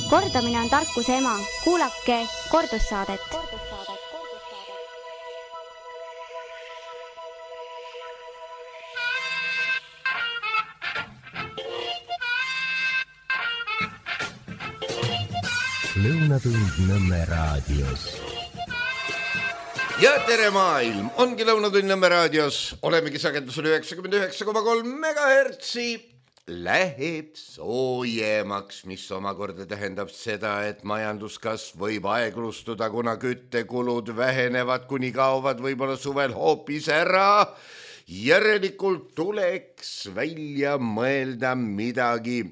Kordamine on tarkuse ema. Kuulake kordussaadet. Lõunatund Nõmme raadios. Ja tere maailm, ongi Lõunatund Nõmme raadios. Olemegi sagedusel 99,3 megahertsi. Läheb soojemaks, mis omakorda tähendab seda, et majanduskasv võib aeglustuda, kuna küttekulud vähenevad, kuni kaovad võib-olla suvel hoopis ära. Järelikult tuleks välja mõelda midagi,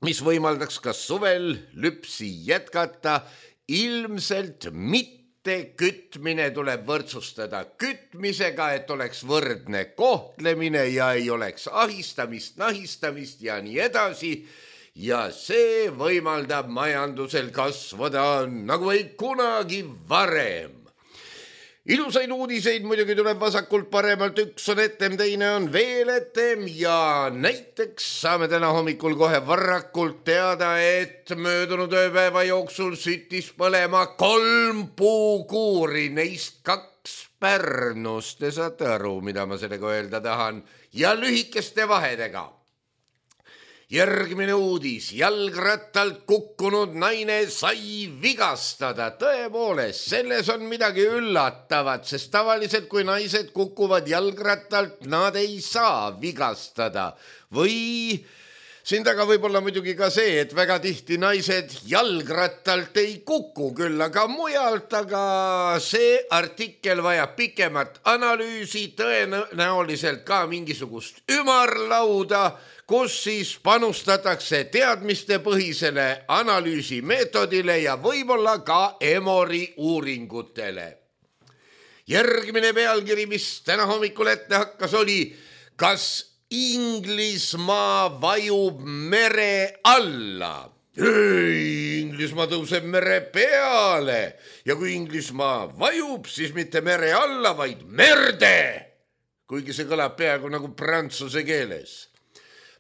mis võimaldaks ka suvel lüpsi jätkata. Ilmselt mitte kütmine tuleb võrdsustada kütmisega, et oleks võrdne kohtlemine ja ei oleks ahistamist, nahistamist ja nii edasi. Ja see võimaldab majandusel kasvada nagu ei kunagi varem. Ilusaid uudiseid muidugi tuleb vasakult paremalt, üks on etem, teine on veel etem ja näiteks saame täna hommikul kohe varakult teada, et möödunud ööpäeva jooksul süttis põlema 3 puukuuri, neist 2 Pärnus. Te saate aru, mida ma sellega öelda tahan, ja lühikeste vahedega. Järgmine uudis, jalgrattalt kukkunud naine sai vigastada. Tõepoolest, selles on midagi üllatavat, sest tavaliselt kui naised kukuvad jalgrattalt, nad ei saa vigastada. Või siin taga võib olla muidugi ka see, et väga tihti naised jalgrattalt ei kuku küll, aga mujalt, aga see artikkel vajab pikemat analüüsi, tõenäoliselt ka mingisugust ümarlauda, kus siis panustatakse teadmistepõhisele analüüsimeetodile ja võib-olla ka Emori uuringutele. Järgmine pealkiri, mis täna hommikul ette hakkas, oli: kas Inglismaa vajub mere alla? Ei, Inglismaa tõuseb mere peale ja kui Inglismaa vajub, siis mitte mere alla, vaid merde, kuigi see kõlab peaaegu nagu prantsuse keeles.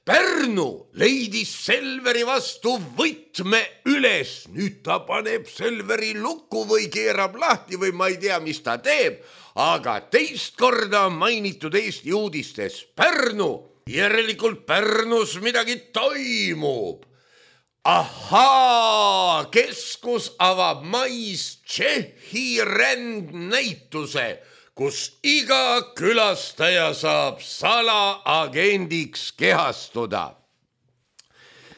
Pärnu leidis Selveri vastu võtme üles. Nüüd ta paneb Selveri lukku või keerab lahti või ma ei tea, mis ta teeb, aga teist korda mainitud Eesti uudistes Pärnu. Järelikult Pärnus midagi toimub. Ahaa, keskus avab mais Tšehhi rändnäituse, kus iga külastaja saab salaagendiks kehastuda.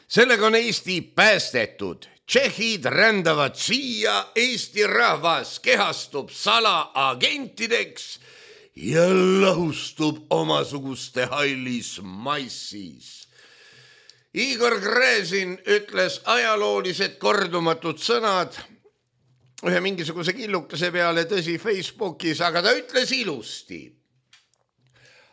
Sellega on Eesti päästetud. Tšehhid rändavad siia, Eesti rahvas kehastub salaagentideks ja lahustub omasuguste hallis massis. Igor Gräzin ütles ajaloolised kordumatud sõnad ühe mingisuguse killukese peale, tõsi, Facebookis, aga ta ütles ilusti.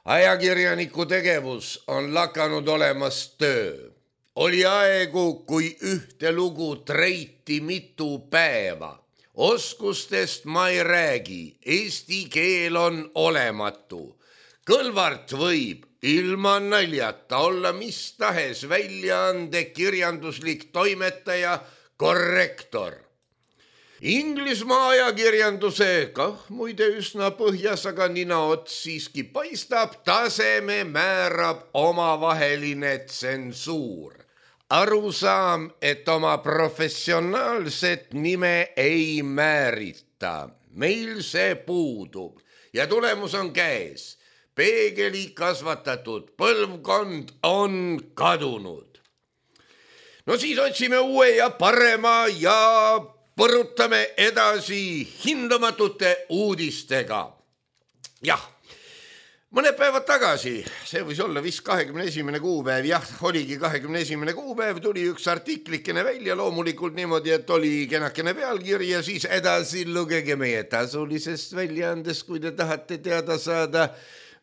Ajakirjaniku tegevus on lakanud olemast töö. Oli aegu, kui ühte lugu treiti mitu päeva. Oskustest ma ei räägi, eesti keel on olematu. Kõlvart võib ilma naljata olla mis tahes väljaande kirjanduslik toimetaja, korrektor. Inglismaa ajakirjanduse, muide üsna põhjas, aga ninaots siiski paistab, taseme määrab omavaheline tsensuur. Arusaam, et oma professionaalset nime ei määrita. Meil see puudub ja tulemus on käes. Peegeli kasvatatud põlvkond on kadunud. No siis otsime uue ja parema ja põrutame edasi hindamatute uudistega. Jah, mõned päevad tagasi, see võis olla vist 21. kuupäev, jah, oligi 21. kuupäev, tuli üks artiklikene välja, loomulikult niimoodi, et oli kenakene pealkiri ja siis edasi lugege meie tasulisest väljaandest, kui te tahate teada saada,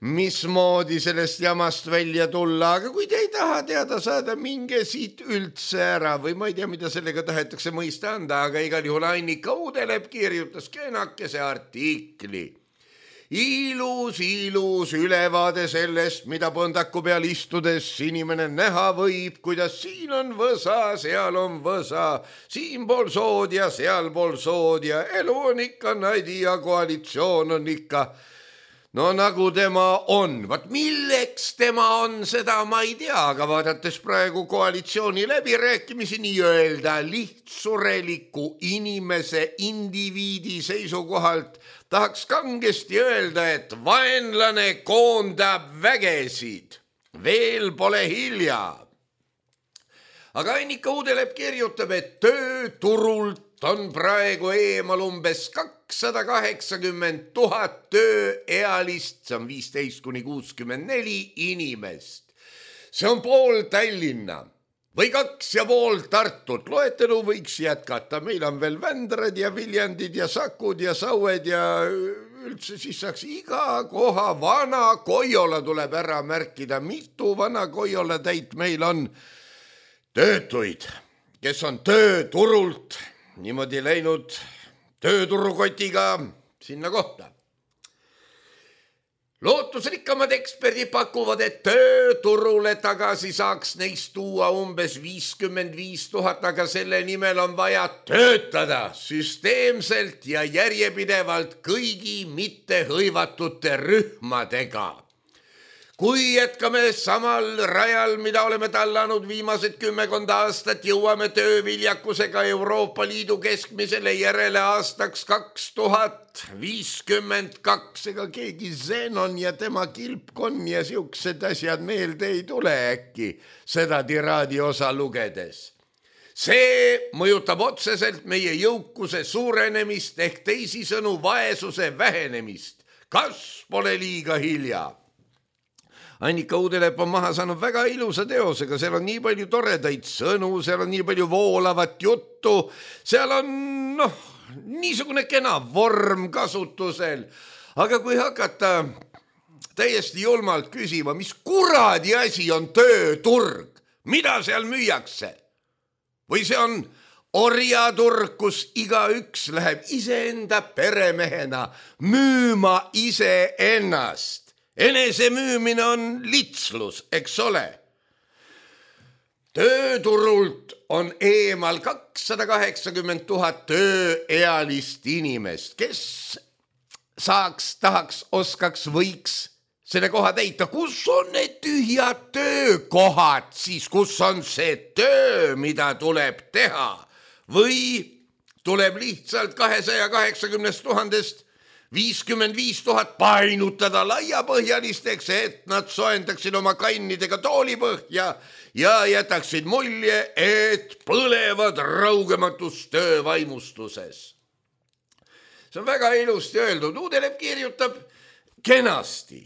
mismoodi sellest jamast välja tulla, aga kui te ei taha teada saada, minge siit üldse ära või ma ei tea, mida sellega tahetakse mõista anda, aga igal juhul Annika Uudelep kirjutas kenakese artikli. ilus ülevaade sellest, mida põndaku peal istudes inimene näha võib, kuidas siin on võsa, seal on võsa, siinpool sood ja sealpool sood ja elu on ikka nadi ja koalitsioon on ikka no nagu tema on. Vat milleks tema on, seda ma ei tea, aga vaadates praegu koalitsiooni läbirääkimisi nii-öelda lihtsureliku inimese indiviidi seisukohalt tahaks kangesti öelda, et vaenlane koondab vägesid. Veel pole hilja. Aga Annika Uudelepp kirjutab, et tööturult on praegu eemal umbes 280 000 tööealist, see on 15–64 inimest. See on pool Tallinna või 2,5 Tartut. Loetelu võiks jätkata. Meil on veel Vändrad ja Viljandid ja Sakud ja Saued ja üldse siis saaks iga koha. Vana Koiola tuleb ära märkida. Mitu vana Koiola täit meil on töötuid, kes on tööturult niimoodi läinud tööturukotiga sinna kohta. Lootusrikkamad eksperdid pakuvad, et tööturule tagasi saaks neist tuua umbes 55 000, aga selle nimel on vaja töötada süsteemselt ja järjepidevalt kõigi mittehõivatute rühmadega. Kui jätkame samal rajal, mida oleme tallanud viimased 10 aastat, jõuame tööviljakusega Euroopa Liidu keskmisele järele aastaks 2052. Ega keegi Zenon ja tema kilpkon ja siuksed asjad meelde ei tule äkki seda tiraadi osa lugedes. See mõjutab otseselt meie jõukuse suurenemist ehk teisisõnu vaesuse vähenemist. Kas pole liiga hilja? Annika Uudelepp on maha saanud väga ilusa teosega, seal on nii palju toredaid sõnu, seal on nii palju voolavat juttu, seal on niisugune kena vorm kasutusel. Aga kui hakata täiesti julmalt küsima, mis kuradi asi on tööturg, mida seal müüakse? Või see on orjaturg, kus igaüks läheb iseenda peremehena müüma iseennast. Enese müümine on litslus, eks ole. Tööturult on eemal 280 000 tööealist inimest, kes tahaks, oskaks, võiks selle koha täita. Kus on need tühjad töökohad siis, kus on see töö, mida tuleb teha? Või tuleb lihtsalt 280 000-st 55 000 painutada laiapõhjalisteks, et nad soendaksid oma kannidega toolipõhja ja jätaksid mulje, et põlevad raugematus töövaimustuses. See on väga ilusti öeldud. Uudelepp kirjutab kenasti,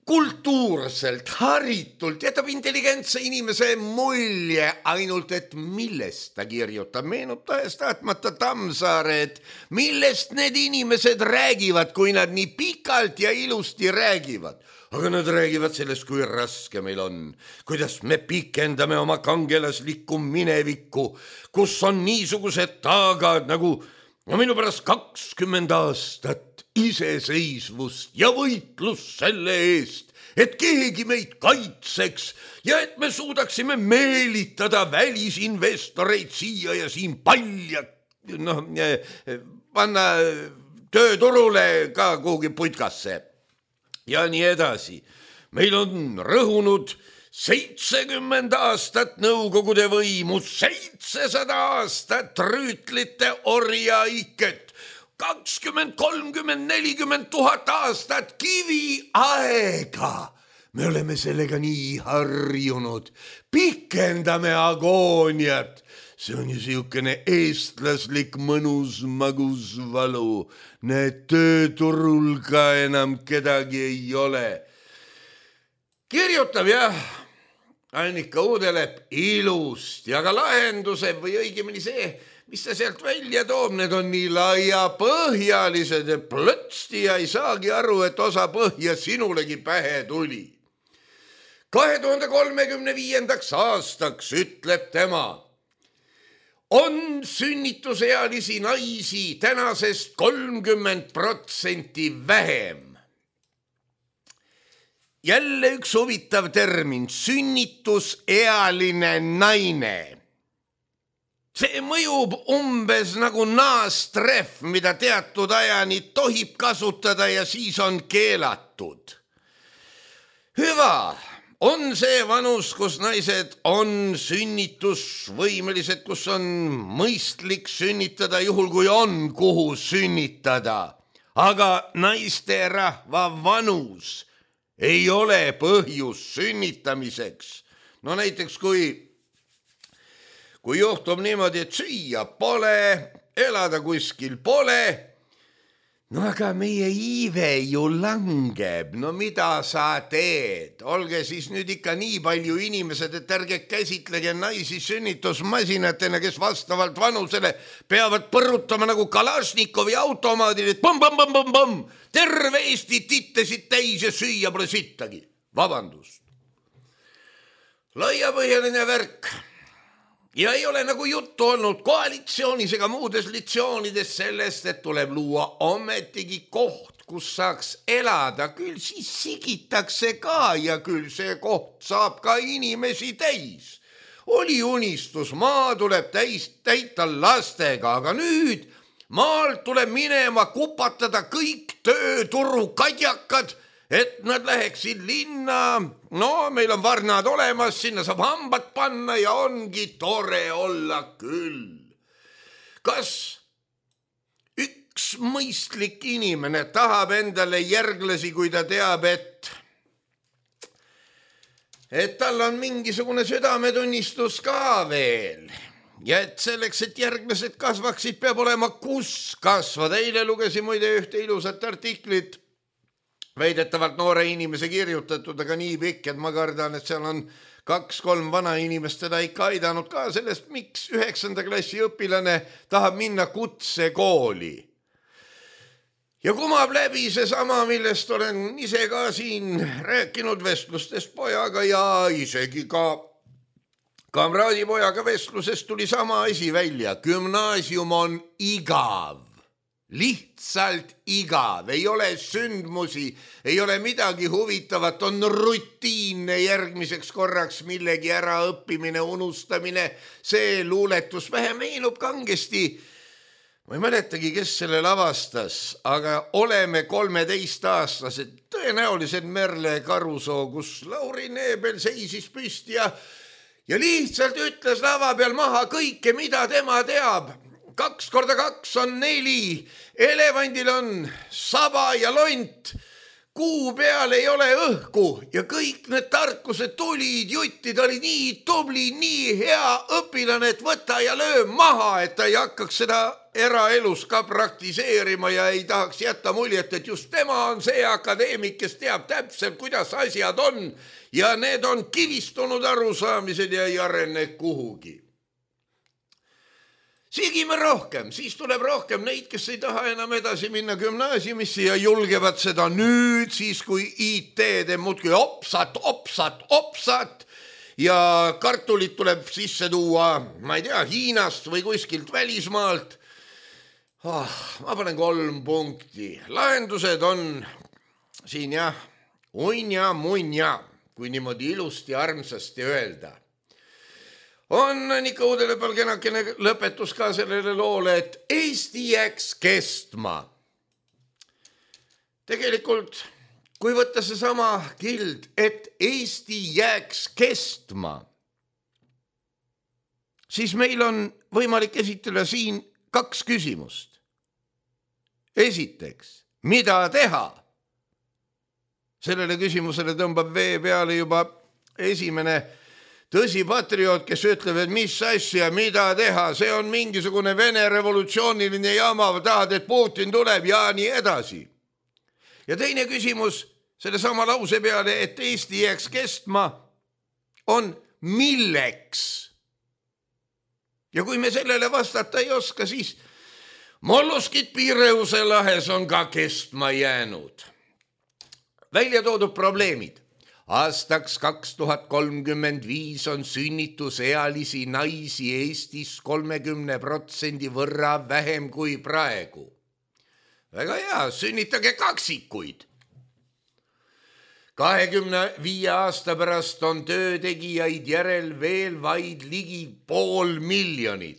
kultuurselt, haritult, jätab intelligentse inimese mulje, ainult et millest ta kirjutab. Meenutas tahtmata Tammsaare, et millest need inimesed räägivad, kui nad nii pikalt ja ilusti räägivad. Aga nad räägivad sellest, kui raske meil on, kuidas me pikendame oma kangelaslikku minevikku, kus on niisugused taagad nagu minu pärast 20 aastat iseseisvust ja võitlus selle eest, et keegi meid kaitseks ja et me suudaksime meelitada välisinvestoreid siia ja siin palja, panna tööturule ka kuhugi putkasse ja nii edasi. Meil on rõhunud 70 aastat nõukogude võimu, 700 aastat rüütlite orjaiket, 20, 30, 40 000 aastat kivi aega. Me oleme sellega nii harjunud. Pikendame agooniat. See on ju siukene eestlaslik mõnus magus valu. Need tööturul ka enam kedagi ei ole. Kirjutab jah Annika Uudelepp ilusti, aga lahenduse või õigemini see, mis ta sealt välja toob, need on nii laiapõhjalised, et plötsti ja ei saagi aru, et osa põhja sinulegi pähe tuli. 2035. aastaks, ütleb tema, on sünnitusealisi naisi tänasest 30% vähem. jälle üks huvitav termin, sünnitusealine naine. See mõjub umbes nagu naastrehv, mida teatud ajani tohib kasutada ja siis on keelatud. Hüva, on see vanus, kus naised on sünnitusvõimelised, kus on mõistlik sünnitada, juhul kui on kuhu sünnitada. Aga naisterahva vanus ei ole põhjus sünnitamiseks. No näiteks kui juhtub niimoodi, et süüa pole, elada kuskil pole, no aga meie iive ju langeb, no mida sa teed? Olge siis nüüd ikka nii palju inimesed, et ärge käsitlege naisi sünnitusmasinatena, kes vastavalt vanusele peavad põrutama nagu Kalašnikovi automaadil, et põmm, terve Eesti tittesid täis ja süüa pole sittagi. Vabandust. Laiapõhjaline värk. Ja ei ole nagu juttu olnud koalitsioonis ega muudes litsioonides sellest, et tuleb luua ometigi koht, kus saaks elada. Küll siis sigitakse ka ja küll see koht saab ka inimesi täis. Oli unistus, maa tuleb täita lastega, aga nüüd maalt tuleb minema kupatada kõik tööturu kadjakad, et nad läheksid linna. No meil on varnad olemas, sinna saab hambad panna ja ongi tore olla küll. Kas üks mõistlik inimene tahab endale järglasi, kui ta teab, et tal on mingisugune südametunnistus ka veel? Ja et selleks, et järglased kasvaksid, peab olema kus kasvada. Eile lugesin muide ühte ilusat artiklit, väidetavalt noore inimese kirjutatud, aga nii pikk, et ma kardan, et seal on 2-3 vana inimest teda ikka aidanud ka sellest, miks 9. klassi õpilane tahab minna kutsekooli. Ja kumab läbi seesama, millest olen ise ka siin rääkinud vestlustest pojaga ja isegi ka kamraadipojaga vestlusest tuli sama asi välja. Gümnaasium on igav. Lihtsalt igav, ei ole sündmusi, ei ole midagi huvitavat, on rutiinne järgmiseks korraks millegi äraõppimine, unustamine, see luuletus vähe meenub kangesti. Ma ei mäletagi, kes selle lavastas, aga oleme 13-aastased, tõenäoliselt Merle Karusoo, kus Lauri Neebel seisis püsti ja lihtsalt ütles lava peal maha kõike, mida tema teab. 2 × 2 on 4, elevandil on saba ja lont, kuu peal ei ole õhku ja kõik need tarkused tulid jutti, ta oli nii tubli, nii hea õpilane, et võta ja löö maha, et ta ei hakkaks seda eraelus ka praktiseerima ja ei tahaks jätta muljet, et just tema on see akadeemik, kes teab täpselt, kuidas asjad on ja need on kivistunud arusaamised ja ei arene kuhugi. Sigime rohkem, siis tuleb rohkem neid, kes ei taha enam edasi minna gümnaasiumisse ja julgevad seda nüüd, siis kui IT teeb muudkui opsat ja kartulit tuleb sisse tuua, ma ei tea, Hiinast või kuskilt välismaalt. Ma panen 3 punkti. Lahendused on siin jah, unja, kui niimoodi ilusti armsasti öelda. On ikka Uudele Palgenakene lõpetus ka sellele loole, et Eesti jääks kestma. Tegelikult, kui võtta see sama kild, et Eesti jääks kestma, siis meil on võimalik esitada siin 2 küsimust. Esiteks, mida teha? Sellele küsimusele tõmbab vee peale juba esimene tõsi patrioot, kes ütleb, et mis asja, mida teha, see on mingisugune Vene revolutsiooniline jama, tahad, et Putin tuleb ja nii edasi. Ja teine küsimus selle sama lause peale, et Eesti jääks kestma, on milleks? Ja kui me sellele vastata ei oska, siis molluskid Piireuse lahes on ka kestma jäänud. Välja toodud probleemid. Aastaks 2035 on sünnitusealisi naisi Eestis 30% võrra vähem kui praegu. Väga hea, sünnitage kaksikuid. 25 aasta pärast on töötegijaid järel veel vaid ligi 500 000.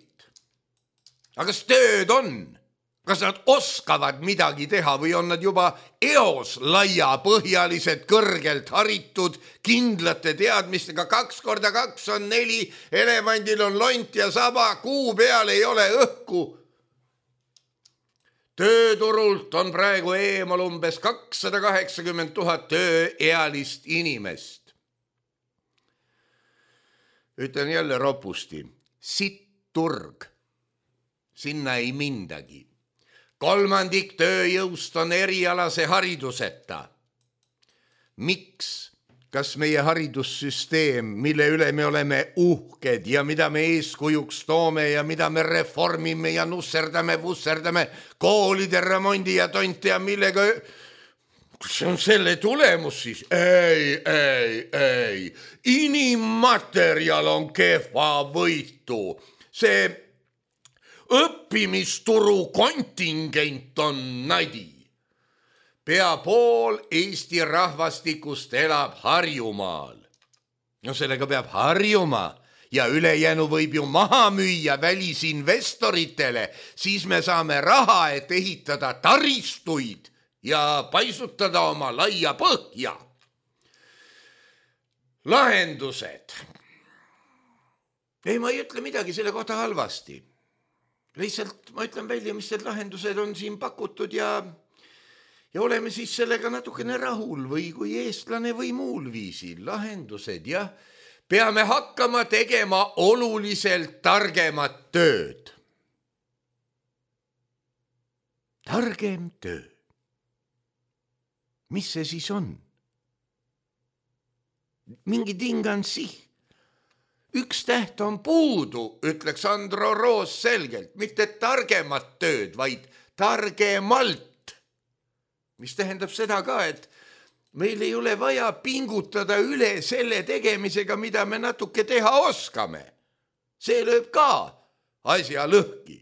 Aga kas tööd on? Kas nad oskavad midagi teha või on nad juba eos laiapõhjalised, kõrgelt haritud, kindlate teadmistega? 2 × 2 on 4, elevandil on lont ja saba, kuu peal ei ole õhku. Tööturult on praegu eemal umbes 280 000 tööealist inimest. Ütlen jälle ropusti, sitt turg, sinna ei mindagi. 1/3 tööjõust on erialase hariduseta. Miks? Kas meie haridussüsteem, mille üle me oleme uhked ja mida me eeskujuks toome ja mida me reformime ja vusserdame koolide remondi ja tonte ja millega... See on selle tulemus siis? Ei. Inimmaterjal on kehva võitu. See õppimisturu kontingent on nadi. Pea pool Eesti rahvastikust elab Harjumaal. No sellega peab harjuma ja ülejäänu võib ju maha müüa välisinvestoritele, siis me saame raha, et ehitada taristuid ja paisutada oma laia põhja. Lahendused. Ei, ma ei ütle midagi selle kohta halvasti. Lihtsalt ma ütlen välja, mis need lahendused on siin pakutud ja oleme siis sellega natukene rahul või kui eestlane või muul viisil. Lahendused, jah. Peame hakkama tegema oluliselt targemat tööd. Targem töö. Mis see siis on? Mingi tingansi. Üks täht on puudu, ütleks Andro Roos selgelt. Mitte targemat tööd, vaid targemalt. Mis tähendab seda ka, et meil ei ole vaja pingutada üle selle tegemisega, mida me natuke teha oskame. See lööb ka asja lõhki.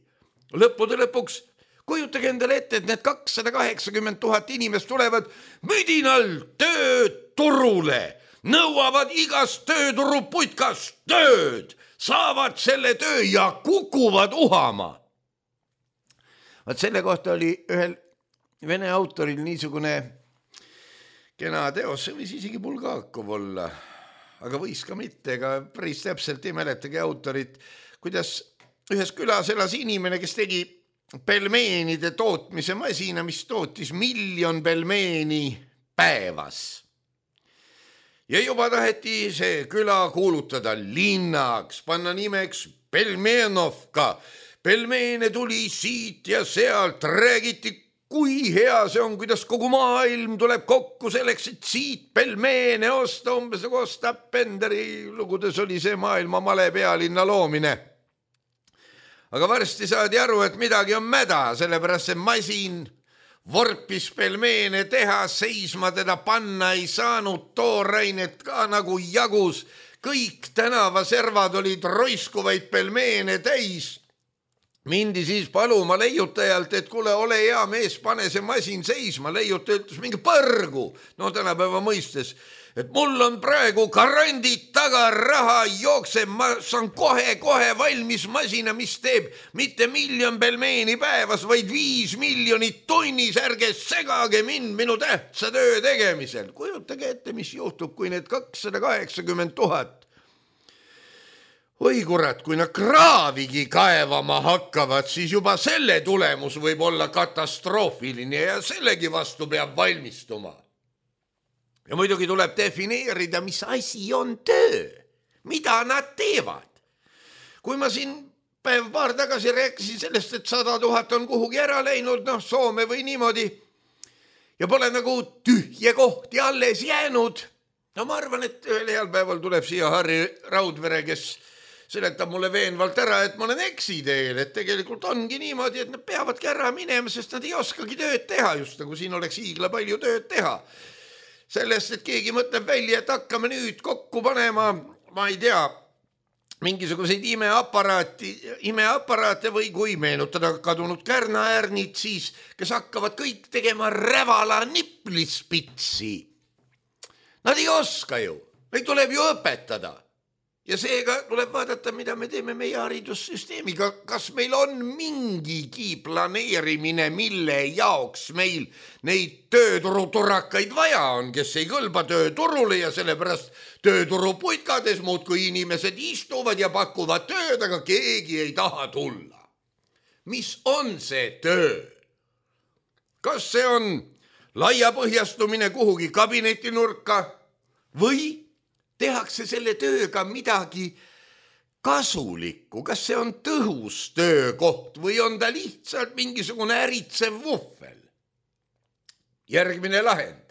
Lõppude lõpuks kujutage endale ette, et need 280 000 inimest tulevad müdinal tööturule, nõuavad igast tööturuputkast tööd, saavad selle töö ja kukuvad uhama. Vaat selle kohta oli ühel Vene autoril niisugune kena teos, see võis isegi Bulgakov olla, aga võis ka mitte, ega päris täpselt ei mäletagi autorit, kuidas ühes külas elas inimene, kes tegi pelmeenide tootmise masina, mis tootis 1 000 000 pelmeeni päevas. Ja juba taheti see küla kuulutada linnaks, panna nimeks Pelmenovka. Pelmeene tuli siit ja sealt, räägiti, kui hea see on, kuidas kogu maailm tuleb kokku selleks, et siit pelmeene osta, umbes nagu Ostap Benderi lugudes oli see maailma male pealinna loomine. Aga varsti saadi aru, et midagi on mäda, sellepärast see masin vorpis pelmeene teha, seisma teda panna ei saanud, toorainet ka nagu jagus. Kõik tänavaservad olid roiskuvaid pelmeene täis. Mindi siis paluma leiutajalt, et kuule, ole hea mees, pane see masin seisma. Leiutaja ütles mingi põrgu, no tänapäeva mõistes, et mul on praegu garandid taga, raha jookseb, ma saan kohe valmis masina, mis teeb mitte 1 000 000 pelmeeni päevas, vaid 5 miljonit tunnis, ärge segage mind minu tähtsa töö tegemisel. Kujutage ette, mis juhtub, kui need 280 000 oi kurat, kui nad kraavigi kaevama hakkavad, siis juba selle tulemus võib olla katastroofiline ja sellegi vastu peab valmistuma. Ja muidugi tuleb defineerida, mis asi on töö, mida nad teevad. Kui ma siin paar tagasi rääkisin sellest, et 100 000 on kuhugi ära läinud, Soome või niimoodi, ja pole nagu tühje kohti alles jäänud. Ma arvan, et ühel heal päeval tuleb siia Harri Raudvere, kes seletab mulle veenvalt ära, et ma olen eksiteel, et tegelikult ongi niimoodi, et nad peavadki ära minema, sest nad ei oskagi tööd teha, just nagu siin oleks hiigla palju tööd teha. Sellest, et keegi mõtleb välja, et hakkame nüüd kokku panema, ma ei tea, mingisuguseid imeaparaate või kui meenutada kadunud kärnaäärnid, siis kes hakkavad kõik tegema rävala niplispitsi. Nad ei oska ju, neid tuleb ju õpetada. Ja seega tuleb vaadata, mida me teeme meie haridussüsteemiga. Kas meil on mingigi planeerimine, mille jaoks meil neid tööturuturakaid vaja on, kes ei kõlba tööturule ja sellepärast tööturuputkades muudkui inimesed istuvad ja pakuvad tööd, aga keegi ei taha tulla. Mis on see töö? Kas see on laiapõhjastumine kuhugi kabinetinurka või tehakse selle tööga midagi kasulikku? Kas see on tõhus töökoht või on ta lihtsalt mingisugune äritsev vuhvel? Järgmine lahend.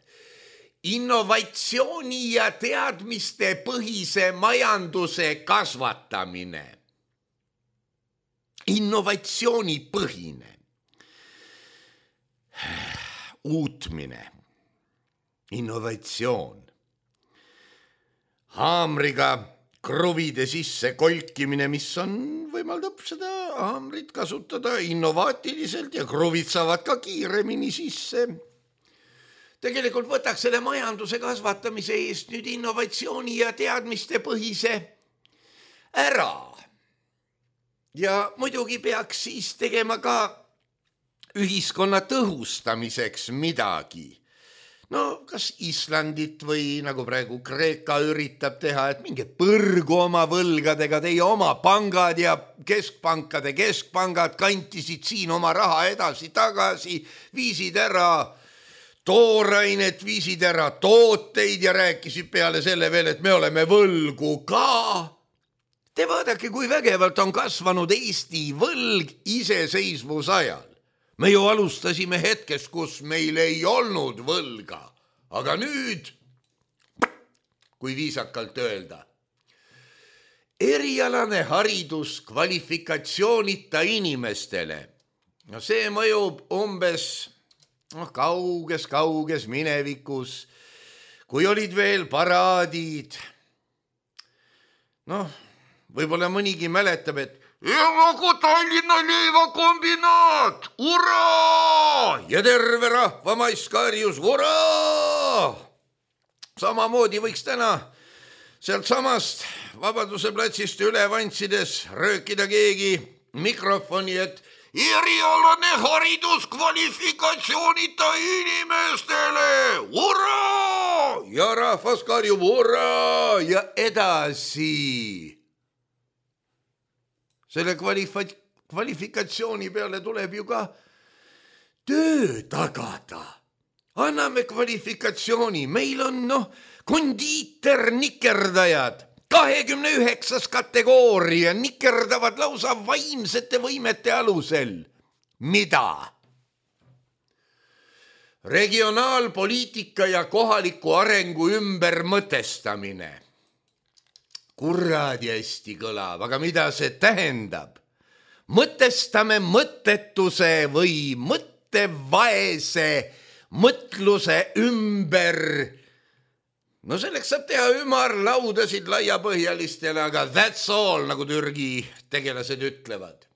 Innovatsiooni ja teadmiste põhise majanduse kasvatamine. Innovatsioonipõhine. Uutmine. Innovatsioon. Haamriga kruvide sisse kolkimine, mis võimaldab seda haamrit kasutada innovaatiliselt ja kruvid saavad ka kiiremini sisse. Tegelikult võtaks selle majanduse kasvatamise eest nüüd innovatsiooni ja teadmiste põhise ära. Ja muidugi peaks siis tegema ka ühiskonna tõhustamiseks midagi. No kas Islandit või nagu praegu Kreeka üritab teha, et minge põrgu oma võlgadega, teie oma pangad ja keskpankade keskpangad kantisid siin oma raha edasi-tagasi, viisid ära toorainet, viisid ära tooteid ja rääkisid peale selle veel, et me oleme võlgu ka. Te vaadake, kui vägevalt on kasvanud Eesti võlg iseseisvusajal. Me ju alustasime hetkest, kus meil ei olnud võlga, aga nüüd, kui viisakalt öelda, erialane haridus kvalifikatsioonita inimestele. No see mõjub umbes kauges minevikus, kui olid veel paraadid. Võib-olla mõnigi mäletab, et nagu Tallinna leivakombinaat, uraa! Ja terve rahva maiskarjus, uraa! Samamoodi võiks täna sealt samast Vabaduse platsist üle vantsides röökida keegi mikrofoni, et erialane haridus kvalifikatsioonita inimestele, uraa! Ja rahvas karjub, uraa! Ja edasi. Selle kvalifikatsiooni peale tuleb ju ka töö tagada. Anname kvalifikatsiooni. Meil on kondiiter nikerdajad. 29. kategooria nikerdavad lausa vaimsete võimete alusel. Mida? Regionaalpoliitika ja kohaliku arengu ümbermõtestamine. Kuradi hästi kõlab, aga mida see tähendab? Mõtestame mõttetuse või mõttevaese mõtluse ümber. No selleks saab teha ümarlaudasid laiapõhjalistele, aga that's all, nagu Türgi tegelased ütlevad.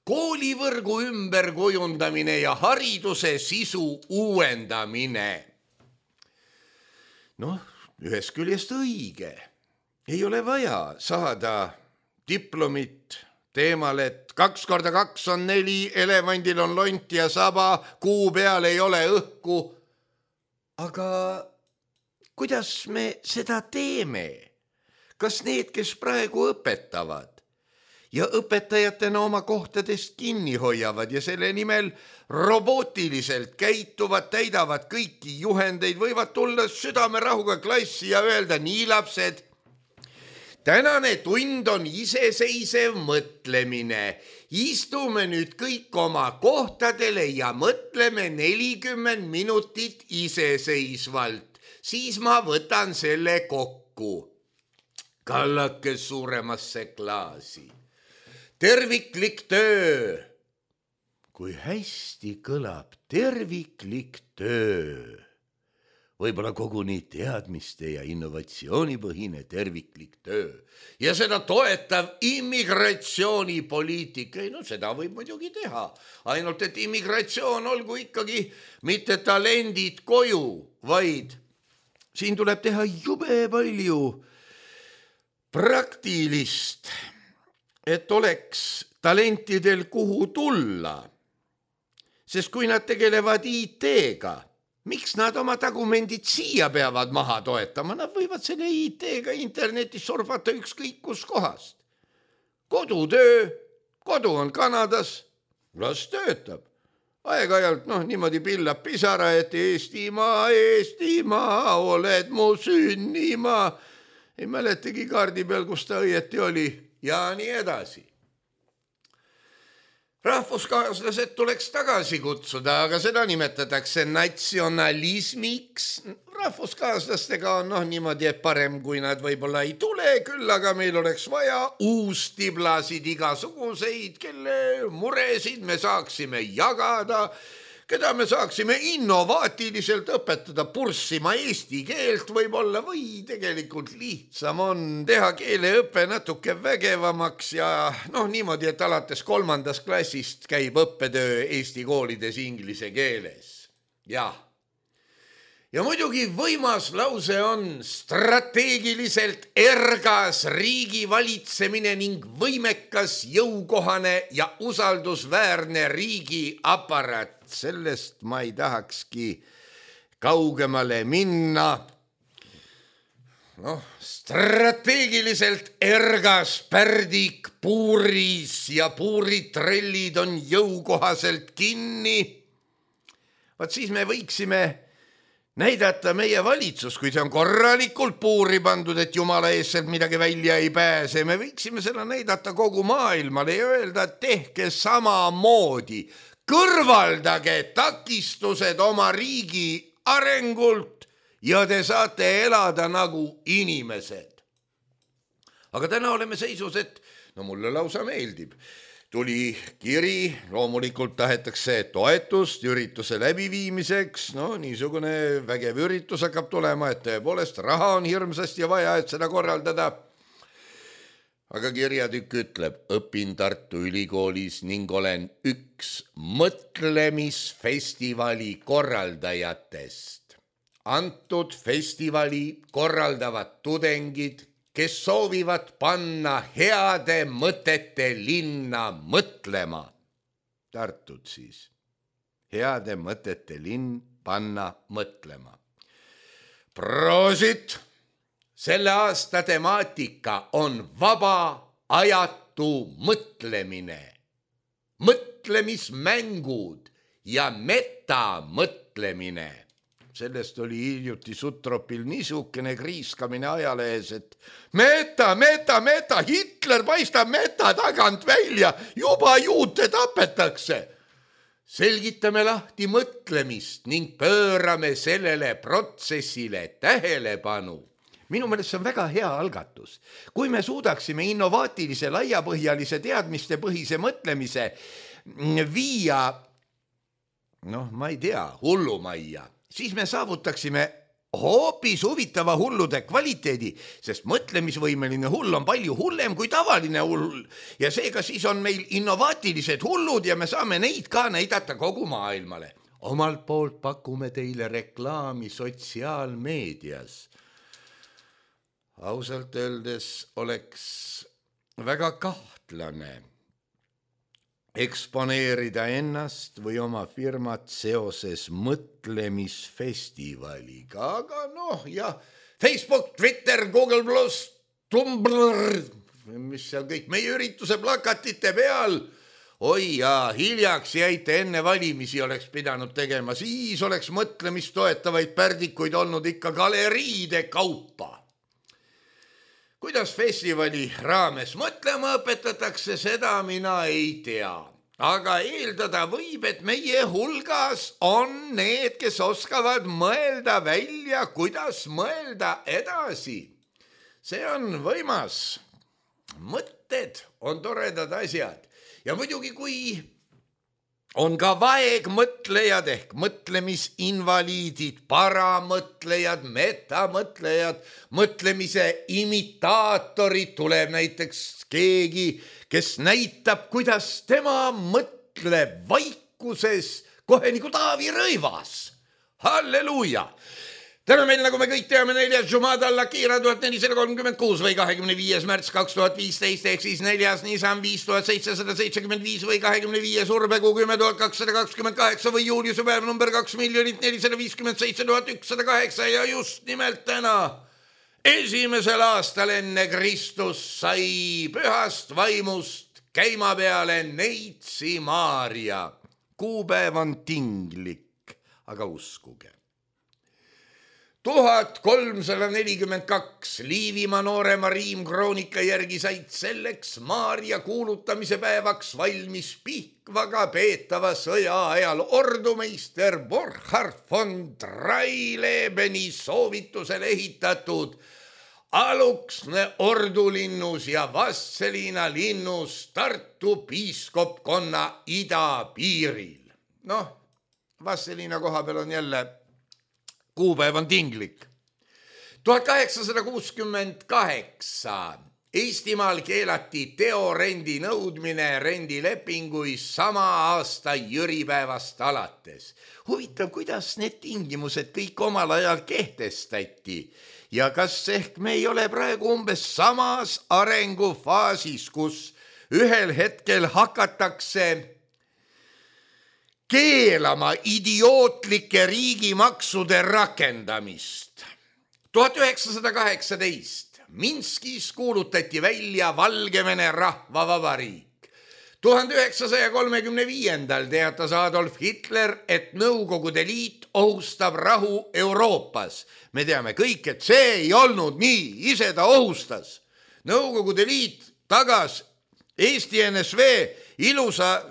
Koolivõrgu ümberkujundamine ja hariduse sisu uuendamine. Ühest küljest õige. Ei ole vaja saada diplomit teemal, et 2 × 2 on 4, elevandil on lont ja saba, kuu peal ei ole õhku. Aga kuidas me seda teeme? Kas need, kes praegu õpetavad ja õpetajatena oma kohtadest kinni hoiavad ja selle nimel robootiliselt käituvad, täidavad kõiki juhendeid, võivad tulla südamerahuga klassi ja öelda, nii lapsed, tänane tund on iseseisev mõtlemine. Istume nüüd kõik oma kohtadele ja mõtleme 40 minutit iseseisvalt. Siis ma võtan selle kokku. Kallake suuremasse klaasi. Terviklik töö. Kui hästi kõlab terviklik töö. Võib-olla koguni teadmiste ja innovatsioonipõhine terviklik töö ja seda toetav immigratsioonipoliitika. Seda võib muidugi teha, ainult et immigratsioon olgu ikkagi mitte talendid koju, vaid siin tuleb teha jube palju praktilist, et oleks talentidel kuhu tulla. Sest kui nad tegelevad IT-ga, miks nad oma tagumendid siia peavad maha toetama? Nad võivad selle IT-ga internetis surfata ükskõik kus kohast. Kodutöö, kodu on Kanadas, las töötab. Aeg-ajalt niimoodi pillab pisara, et Eestimaa, Eestimaa, oled mu sünnimaa. Ei mäletagi kaardi peal, kus ta õieti oli ja nii edasi. Rahvuskaaslased tuleks tagasi kutsuda, aga seda nimetatakse natsionalismiks. Rahvuskaaslastega on niimoodi, et parem kui nad võib-olla ei tule, küll aga meil oleks vaja uustiblasid igasuguseid, kelle muresid me saaksime jagada, keda me saaksime innovaatiliselt õpetada purssima eesti keelt võib-olla või tegelikult lihtsam on teha keeleõppe natuke vägevamaks ja niimoodi, et alates 3. klassist käib õppetöö Eesti koolides inglise keeles. Ja muidugi võimas lause on strateegiliselt ergas riigi valitsemine ning võimekas, jõukohane ja usaldusväärne riigi aparaat. Sellest ma ei tahakski kaugemale minna. Strateegiliselt ergas pärdik puuris ja puuritrellid on jõukohaselt kinni. Vaat siis me võiksime näidata meie valitsus, kui see on korralikult puuri pandud, et jumala ees sealt midagi välja ei pääse. Me võiksime seda näidata kogu maailmale ja öelda, et tehke samamoodi. Kõrvaldage takistused oma riigi arengult ja te saate elada nagu inimesed. Aga täna oleme seisus, et mulle lausa meeldib. Tuli kiri, loomulikult tahetakse toetust ürituse läbiviimiseks, niisugune vägev üritus hakkab tulema, et tõepoolest raha on hirmsasti vaja, et seda korraldada. Aga kirjatükk ütleb, õpin Tartu Ülikoolis ning olen üks mõtlemisfestivali korraldajatest. Antud festivali korraldavad tudengid, kes soovivad panna heade mõtete linna mõtlema. Tartud siis. Heade mõtete linn panna mõtlema. Proosit! Selle aasta temaatika on vaba ajatu mõtlemine. Mõtlemismängud ja metamõtlemine. Sellest oli hiljuti Sutropil niisugune kriiskamine ajalehes, et meta, Hitler paistab meta tagant välja, juba juute tapetakse. Selgitame lahti mõtlemist ning pöörame sellele protsessile tähelepanu. Minu meelest see on väga hea algatus. Kui me suudaksime innovaatilise, laiapõhjalise, teadmistepõhise mõtlemise viia, ma ei tea, hullumajja, siis me saavutaksime hoopis huvitava hullude kvaliteedi, sest mõtlemisvõimeline hull on palju hullem kui tavaline hull ja seega siis on meil innovaatilised hullud ja me saame neid ka näidata kogu maailmale. Omalt poolt pakume teile reklaami sotsiaalmeedias. Ausalt öeldes oleks väga kahtlane eksponeerida ennast või oma firmat seoses mõtlemisfestivaliga, aga Facebook, Twitter, Google+, Tumblr, mis seal kõik meie ürituse plakatite peal. Oi ja hiljaks jäite enne valimisi oleks pidanud tegema, siis oleks mõtlemist toetavaid pärdikuid olnud ikka galeriide kaupa. Kuidas festivali raames mõtlema õpetatakse, seda mina ei tea. Aga eeldada võib, et meie hulgas on need, kes oskavad mõelda välja, kuidas mõelda edasi. See on võimas. Mõtted on toredad asjad. Ja muidugi, kui on ka vaegmõtlejad ehk mõtlemisinvaliidid, paramõtlejad, metamõtlejad, mõtlemise imitaatorid, tuleb näiteks keegi, kes näitab, kuidas tema mõtleb vaikuses kohe nagu Taavi Rõivas. Halleluuja! Täna meil, nagu me kõik teame, 4. Jumada Al-Akira 1436 või 25. märts 2015 ehk siis 4. Nisan 5775 või 25. Urbekuu 10228 või juuliuse päev number 2,457,108 ja just nimelt täna, 1. aastal enne Kristus sai pühast vaimust käima peale Neitsi Maarja. Kuupäev on tinglik, aga uskuge. 1342 Liivimaa noorema riimkroonika järgi said selleks Maarja kuulutamise päevaks valmis Pihkvaga peetava sõja ajal ordumeister Burkhard von Dreilebeni soovitusel ehitatud Aluksne ordulinnus ja Vastseliina linnus Tartu piiskopkonna idapiiril. Vastseliina koha peal on jälle kuupäev on tinglik. 1868 Eestimaal keelati teorendi nõudmine rendilepinguis sama aasta jüripäevast alates. Huvitav, kuidas need tingimused kõik omal ajal kehtestati ja kas ehk me ei ole praegu umbes samas arengufaasis, kus ühel hetkel hakatakse keelama idiootlike riigimaksude rakendamist. 1918 Minskis kuulutati välja Valgevene rahvavabariik. 1935 teatas Adolf Hitler, et Nõukogude Liit ohustab rahu Euroopas. Me teame kõik, et see ei olnud nii, ise ta ohustas. Nõukogude Liit tagas Eesti NSV ilusa,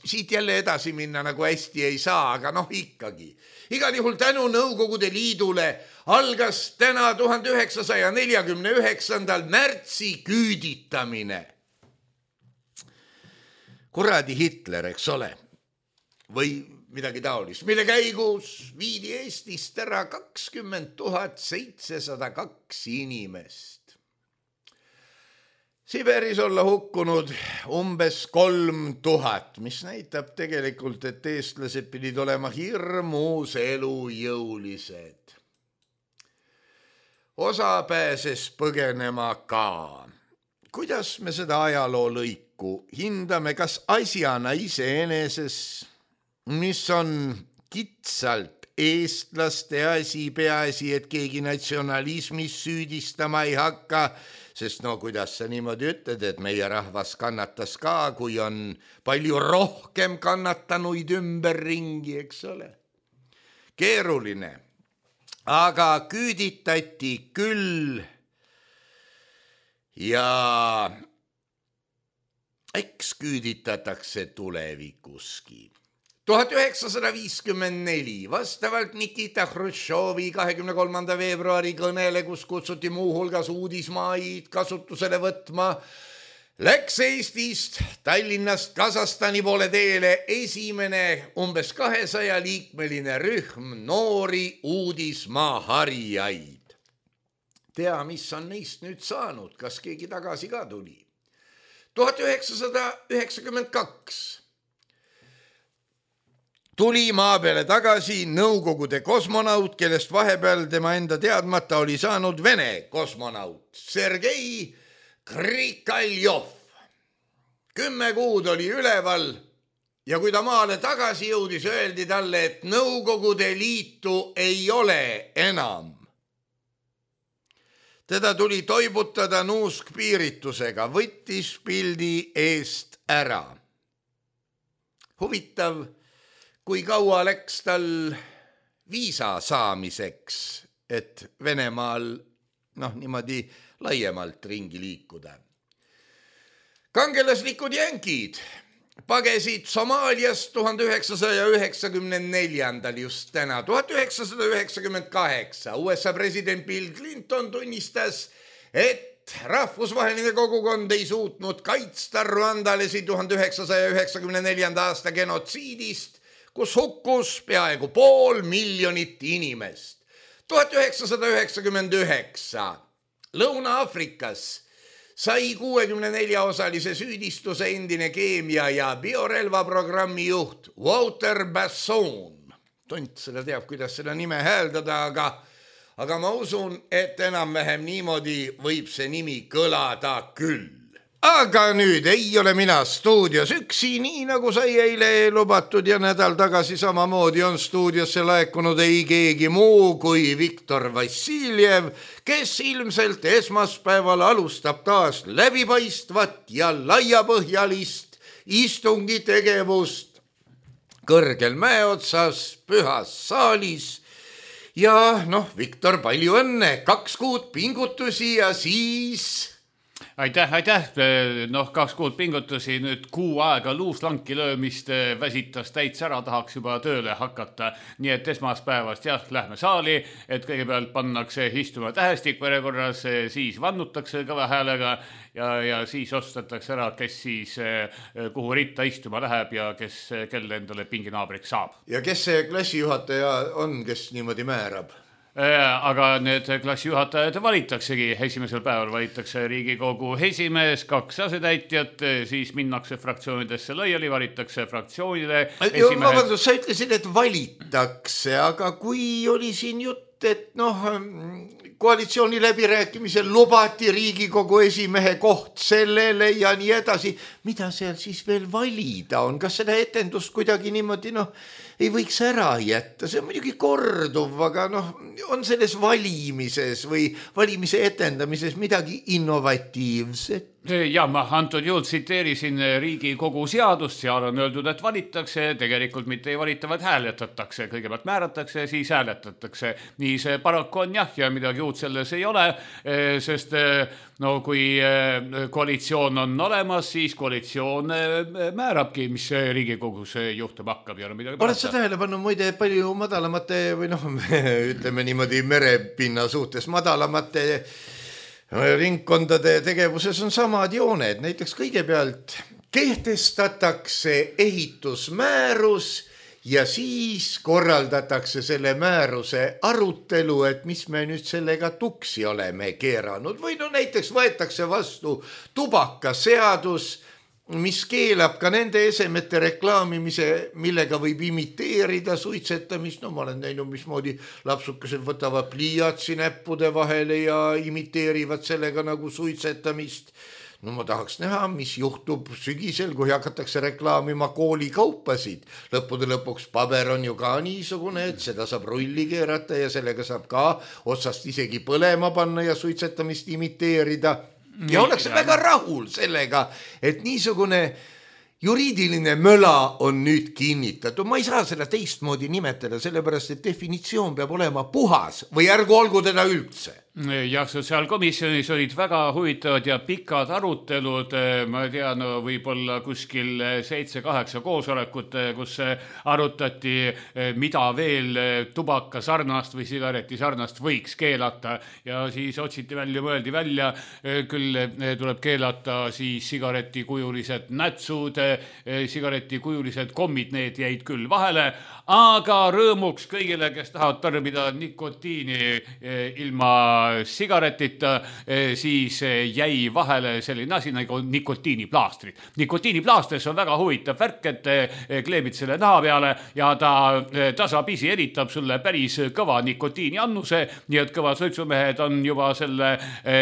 siit jälle edasi minna nagu hästi ei saa, aga ikkagi. Igal juhul tänu Nõukogude Liidule algas täna 1949. märtsi küüditamine. Kuradi Hitler, eks ole, või midagi taolist, mille käigus viidi Eestist ära 20 702 inimest. Siberis olla hukkunud umbes 3000, mis näitab tegelikult, et eestlased pidid olema hirmus elujõulised. Osa pääses põgenema ka. Kuidas me seda ajaloo lõiku hindame, kas asjana iseeneses, mis on kitsalt eestlaste asi, peaasi, et keegi natsionalismis süüdistama ei hakka, sest kuidas sa niimoodi ütled, et meie rahvas kannatas ka, kui on palju rohkem kannatanuid ümberringi, eks ole. Keeruline, aga küüditati küll ja eks küüditatakse tulevikuski. 1954 vastavalt Nikita Hruštšovi 23. veebruari kõnele, kus kutsuti muuhulgas uudismaid kasutusele võtma, läks Eestist Tallinnast Kasahstani poole teele esimene umbes 200-liikmeline rühm noori uudismaa harijaid. Tea, mis on neist nüüd saanud, kas keegi tagasi ka tuli? 1992 tuli maa peale tagasi Nõukogude kosmonaut, kellest vahepeal tema enda teadmata oli saanud Vene kosmonaut Sergei Krikaljov. 10 kuud oli üleval ja kui ta maale tagasi jõudis, öeldi talle, et Nõukogude Liitu ei ole enam. Teda tuli toibutada nuuskpiiritusega, võttis pildi eest ära. Huvitav, kui kaua läks tal viisa saamiseks, et Venemaal niimoodi laiemalt ringi liikuda. Kangelaslikud jänkid pagesid Somaaliast 1994. just täna. 1998 USA president Bill Clinton tunnistas, et rahvusvaheline kogukond ei suutnud kaitsta rwandalasi 1994. aasta genotsiidist, kus hukkus peaaegu 500,000 inimest. 1999 Lõuna-Afrikas sai 64-osalise süüdistuse endine keemia- ja biorelvaprogrammi juht Walter Basson. Tont seda teab, kuidas seda nime hääldada, aga aga ma usun, et enam-vähem niimoodi võib see nimi kõlada küll. Aga nüüd ei ole mina stuudios üksi, nii nagu sai eile lubatud ja nädal tagasi samamoodi on stuudiosse laekunud ei keegi muu kui Viktor Vassiljev, kes ilmselt esmaspäeval alustab taas läbipaistvat ja laiapõhjalist istungitegevust kõrgel mäeotsas pühas saalis. Ja Viktor, palju õnne, 2 kuud pingutusi ja siis... Aitäh. 2 kuud pingutusi, nüüd 6 aega luuslanki löömist väsitas täitsa ära, tahaks juba tööle hakata. Nii et esmaspäevast lähme saali, et kõigepealt pannakse istuma tähestik järjekorras, siis vannutakse kõva häälega ja siis otsustatakse ära, kes siis kuhu ritta istuma läheb ja kelle endale pinginaabriks saab. Ja kes see klassijuhataja on, kes niimoodi määrab? Aga need klassijuhatajad valitaksegi, esimesel päeval valitakse Riigikogu esimees, 2 asetäitjat, siis minnakse fraktsioonidesse laiali, valitakse fraktsioonide esimehed. Vabandust, sa ütlesid, et valitakse, aga kui oli siin jutt, et koalitsiooni läbirääkimisel lubati Riigikogu esimehe koht sellele ja nii edasi, mida seal siis veel valida on? Kas seda etendust kuidagi niimoodi, ei võiks ära jätta? See on muidugi korduv, aga on selles valimises või valimise etendamises midagi innovatiivset? Ja ma antud juhul tsiteerisin Riigikogu seadust, seal on öeldud, et valitakse, tegelikult mitte ei valita, vaid hääletatakse. Kõigepealt määratakse, siis hääletatakse. Nii see paraku on ja midagi uut selles ei ole, sest kui koalitsioon on olemas, siis koalitsioon määrabki, mis Riigikogus juhtub hakkab. Oled sa tähele pannud muide palju madalamate või ütleme niimoodi merepinna suhtes madalamate ringkondade tegevuses on samad jooned. Näiteks kõigepealt kehtestatakse ehitusmäärus ja siis korraldatakse selle määruse arutelu, et mis me nüüd sellega tuksi oleme keeranud. Või näiteks võetakse vastu tubakaseadus, mis keelab ka nende esemete reklaamimise, millega võib imiteerida suitsetamist. Ma olen näinud, mismoodi lapsukesed võtavad pliiatsi näppude vahele ja imiteerivad sellega nagu suitsetamist. Ma tahaks näha, mis juhtub sügisel, kui hakatakse reklaamima koolikaupasid. Lõppude lõpuks paber on ju ka niisugune, et seda saab rulli keerata ja sellega saab ka otsast isegi põlema panna ja suitsetamist imiteerida. Ja ollakse väga rahul sellega, et niisugune juriidiline möla on nüüd kinnitatud. Ma ei saa seda teistmoodi nimetada, sellepärast, et definitsioon peab olema puhas või ärgu olgu teda üldse. Jah, sotsiaalkomisjonis olid väga huvitavad ja pikad arutelud, ma tean, võib-olla kuskil 7-8 koosolekut, kus arutati, mida veel tubaka sarnast või sigareti sarnast võiks keelata ja siis otsiti välja, mõeldi välja, küll tuleb keelata siis sigaretikujulised nätsud, sigaretikujulised kommid, need jäid küll vahele, aga rõõmuks kõigile, kes tahavad tarbida nikotiini ilma sigaretita, siis jäi vahele selline asi nagu nikotiiniplaastrid. Nikotiiniplaastris on väga huvitav värk, et kleebid selle naha peale ja ta tasapisi eritab sulle päris kõva nikotiiniannuse, nii et kõva suitsumehed on juba selle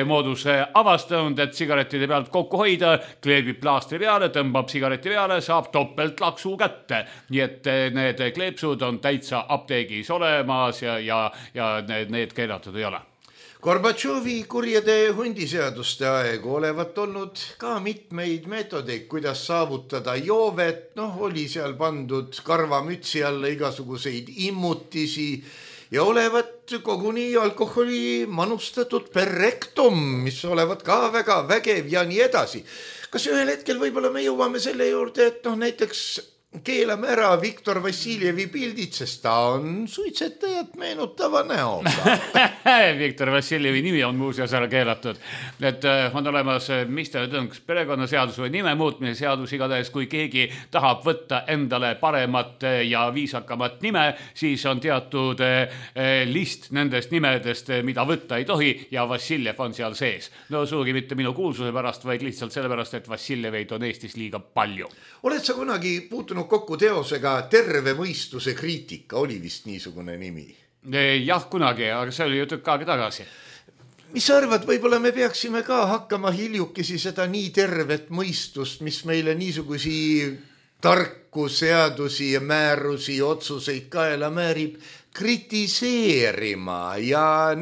mooduse avastanud, et sigaretide pealt kokku hoida, kleebib plaastri peale, tõmbab sigareti peale, saab topelt laksu kätte. Nii et need kleepsud on täitsa apteegis olemas ja need keelatud ei ole. Gorbatšovi kurjade hundiseaduste aegu olevat olnud ka mitmeid meetodeid, kuidas saavutada joovet. Oli seal pandud karvamütsi alla igasuguseid immutisi ja olevat koguni alkoholi manustatud per rectum, mis olevat ka väga vägev ja nii edasi. Kas ühel hetkel võib-olla me jõuame selle juurde, et näiteks keelame ära Viktor Vassiljevi pildid, sest ta on suitsetajat meenutava näoga. Viktor Vassiljevi nimi on muuseas ära keelatud. Et on olemas Mr. Tõnks perekonnaseadus või nime muutmise seadus, igatahes kui keegi tahab võtta endale paremat ja viisakamat nime, siis on teatud list nendest nimedest, mida võtta ei tohi ja Vassiljev on seal sees. Suugi mitte minu kuulsuse pärast, vaid lihtsalt sellepärast, et Vassiljeveid on Eestis liiga palju. Oled sa kunagi puutunud kokku teosega Terve mõistuse kriitika, oli vist niisugune nimi? Jah, kunagi, aga see oli ju tükk aega tagasi. Mis sa arvad, võib-olla me peaksime ka hakkama hiljukesi seda nii tervet mõistust, mis meile niisugusi tarku seadusi ja määrusi, otsuseid kaela määrib, kritiseerima ja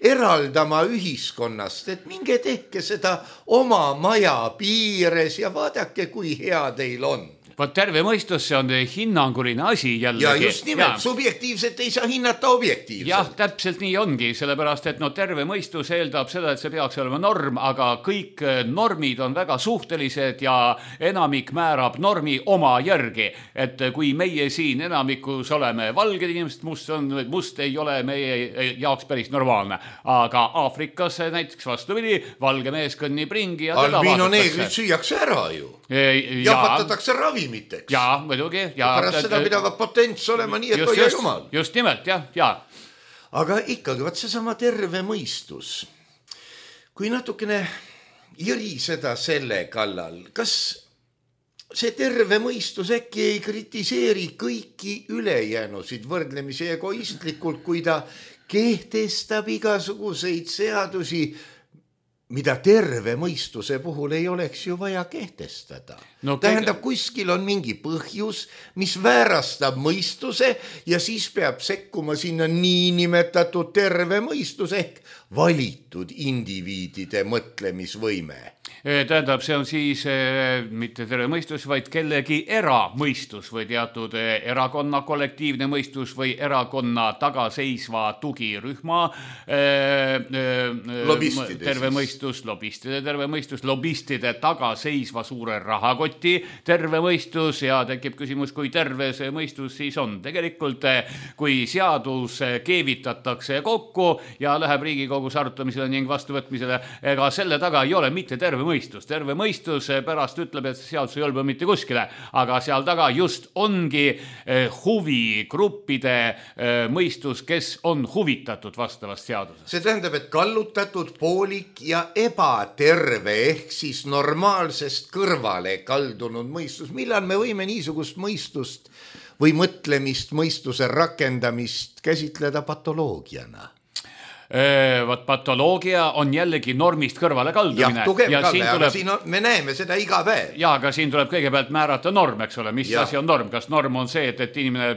eraldama ühiskonnast, et minge tehke seda oma maja piires ja vaadake, kui hea teil on. Vaat terve mõistus, see on hinnanguline asi jällegi. Ja just nimelt, subjektiivset ei saa hinnata objektiivselt. Jah, täpselt nii ongi, sellepärast, et terve mõistus eeldab seda, et see peaks olema norm, aga kõik normid on väga suhtelised ja enamik määrab normi oma järgi. Et kui meie siin enamikus oleme valged inimesed, must ei ole meie jaoks päris normaalne. Aga Aafrikas näiteks vastupidi, valge mees kõnnib ringi ja Albino neegrid süüakse ära ju. Jahvatatakse ravimiteks. Jaa, muidugi. Pärast seda pidavad potents olema nii, et hoia jumal. Just nimelt, jah. Aga ikkagi, vaat seesama terve mõistus. Kui natukene jõriseda selle kallal, kas see terve mõistus äkki ei kritiseeri kõiki ülejäänusid võrdlemisi egoistlikult, kui ta kehtestab igasuguseid seadusi, mida terve mõistuse puhul ei oleks ju vaja kehtestada. Tähendab, kuskil on mingi põhjus, mis väärastab mõistuse ja siis peab sekkuma sinna niinimetatud terve mõistus ehk valitud indiviidide mõtlemisvõime. Tähendab, see on siis mitte terve mõistus, vaid kellegi eramõistus või teatud erakonna kollektiivne mõistus või erakonna tagaseisva tugirühma terve mõistus, lobistide terve mõistus, lobistide tagaseisva suure rahakoti terve mõistus ja tekib küsimus, kui terve see mõistus siis on. Tegelikult, kui seadus keevitatakse kokku ja läheb Riigikogus arutamisele ning vastuvõtmisele, ega selle taga ei ole mitte terve mõistus. Terve mõistus pärast ütleb, et seadus ei olba mitte kuskile, aga seal taga just ongi huvigruppide mõistus, kes on huvitatud vastavast seadusest. See tähendab, et kallutatud, poolik ja ebaterve ehk siis normaalsest kõrvale kaldunud mõistus. Millal me võime niisugust mõistust või mõtlemist, mõistuse rakendamist käsitleda patoloogiana? Vaat patoloogia on jällegi normist kõrvale kaldumine. Jah, tugev kalde, aga siin me näeme seda iga päev. Ja, aga siin tuleb kõigepealt määrata norm, eks ole, mis asi on norm. Kas norm on see, et inimene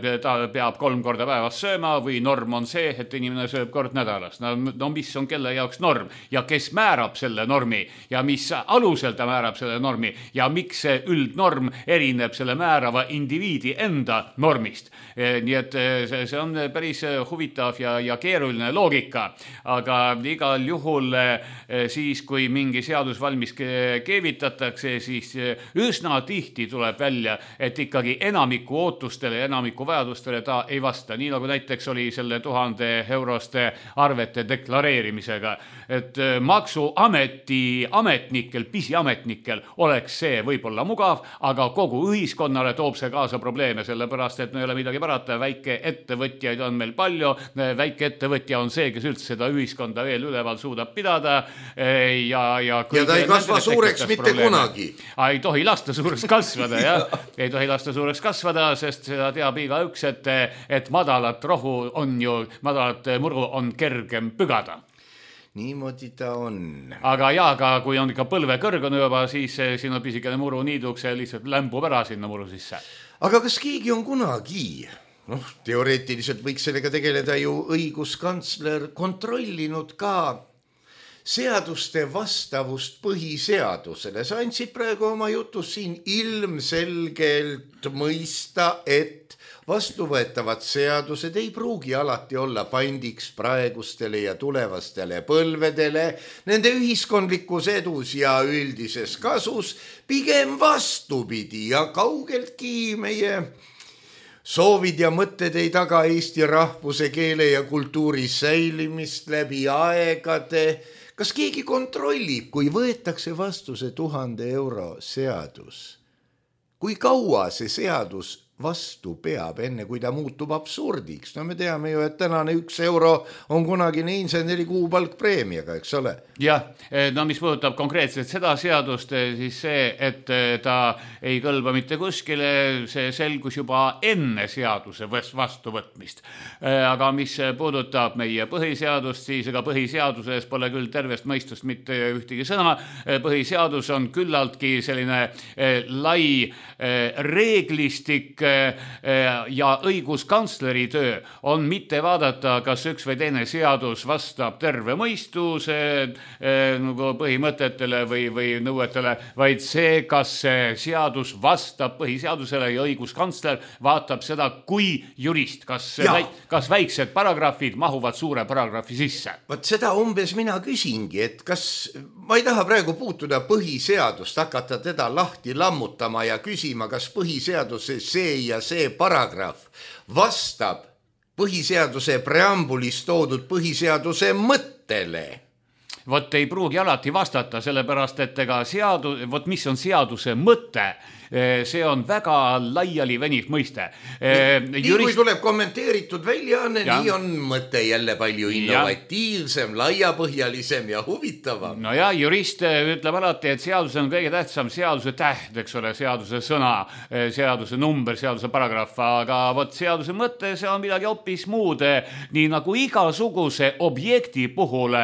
peab 3 korda päevas sööma või norm on see, et inimene sööb kord nädalas? No mis on kelle jaoks norm ja kes määrab selle normi ja mis alusel ta määrab selle normi ja miks see üldnorm erineb selle määrava indiviidi enda normist. Nii et see on päris huvitav ja keeruline loogika. Aga igal juhul siis, kui mingi seadus valmis keevitatakse, siis üsna tihti tuleb välja, et ikkagi enamiku ootustele ja enamiku vajadustele ta ei vasta. Nii nagu näiteks oli selle 1000 euroste arvete deklareerimisega. Et maksuameti ametnikel, pisiametnikel oleks see võib-olla mugav, aga kogu ühiskonnale toob see kaasa probleeme, sellepärast, et no ei ole midagi parata. Väike ettevõtjaid on meil palju, väike ettevõtja on see, kes üldse seda ühiskonda veel üleval suudab pidada ja ta ei kasva suureks mitte kunagi. Ei tohi lasta suureks kasvada, jah. Ei tohi lasta suureks kasvada, sest seda teab igaüks, et madalat rohu on ju, madalat muru on kergem pügada. Niimoodi ta on. Aga kui on ikka põlve kõrgune juba, siis siin on pisikene muru niiduks ja lihtsalt lämbub ära sinna muru sisse. Aga kas keegi on kunagi... teoreetiliselt võiks sellega tegeleda ju õiguskantsler kontrollinud ka seaduste vastavust põhiseadusele. Sa andsid praegu oma jutus siin ilmselgelt mõista, et vastuvõetavad seadused ei pruugi alati olla pandiks praegustele ja tulevastele põlvedele, nende ühiskondlikus edus ja üldises kasus, pigem vastupidi ja kaugeltki meie soovid ja mõtted ei taga Eesti rahvuse, keele ja kultuuri säilimist läbi aegade. Kas keegi kontrollib, kui võetakse vastu see 1000 euro seadus? Kui kaua see seadus vastu peab, enne kui ta muutub absurdiks. No me teame ju, et tänane 1 euro on kunagine inseneri kuupalk preemiaga, eks ole? Jah, no mis puudutab konkreetselt seda seadust, siis see, et ta ei kõlba mitte kuskile, see selgus juba enne seaduse vastuvõtmist. Aga mis puudutab meie põhiseadust, siis ega põhiseaduses pole küll tervest mõistust mitte ühtegi sõna. Põhiseadus on küllaltki selline lai reeglistik ja õiguskantsleri töö on mitte vaadata, kas üks või teine seadus vastab terve mõistuse põhimõtetele või nõuetele, vaid see, kas see seadus vastab põhiseadusele ja õiguskantsler vaatab seda kui jurist, kas väiksed paragrahvid mahuvad suure paragrahvi sisse. Vaat seda umbes mina küsingi, et kas ma ei taha praegu puutuda põhiseadust, hakata teda lahti lammutama ja küsima, kas põhiseaduse see ja see paragrahv vastab põhiseaduse preambulis toodud põhiseaduse mõttele. Vot ei pruugi alati vastata, sellepärast, et ega mis on seaduse mõte, see on väga laiali veniv mõiste. Kui tuleb kommenteeritud väljaanne, nii on mõte jälle palju innovatiivsem, laiapõhjalisem ja huvitavam. No ja jurist ütleb alati, et seadus on kõige tähtsam seaduse täht, eks ole, seaduse sõna, seaduse number, seaduse paragrahv, aga vot seaduse mõte, see on midagi hoopis muud. Nii nagu igasuguse objekti puhul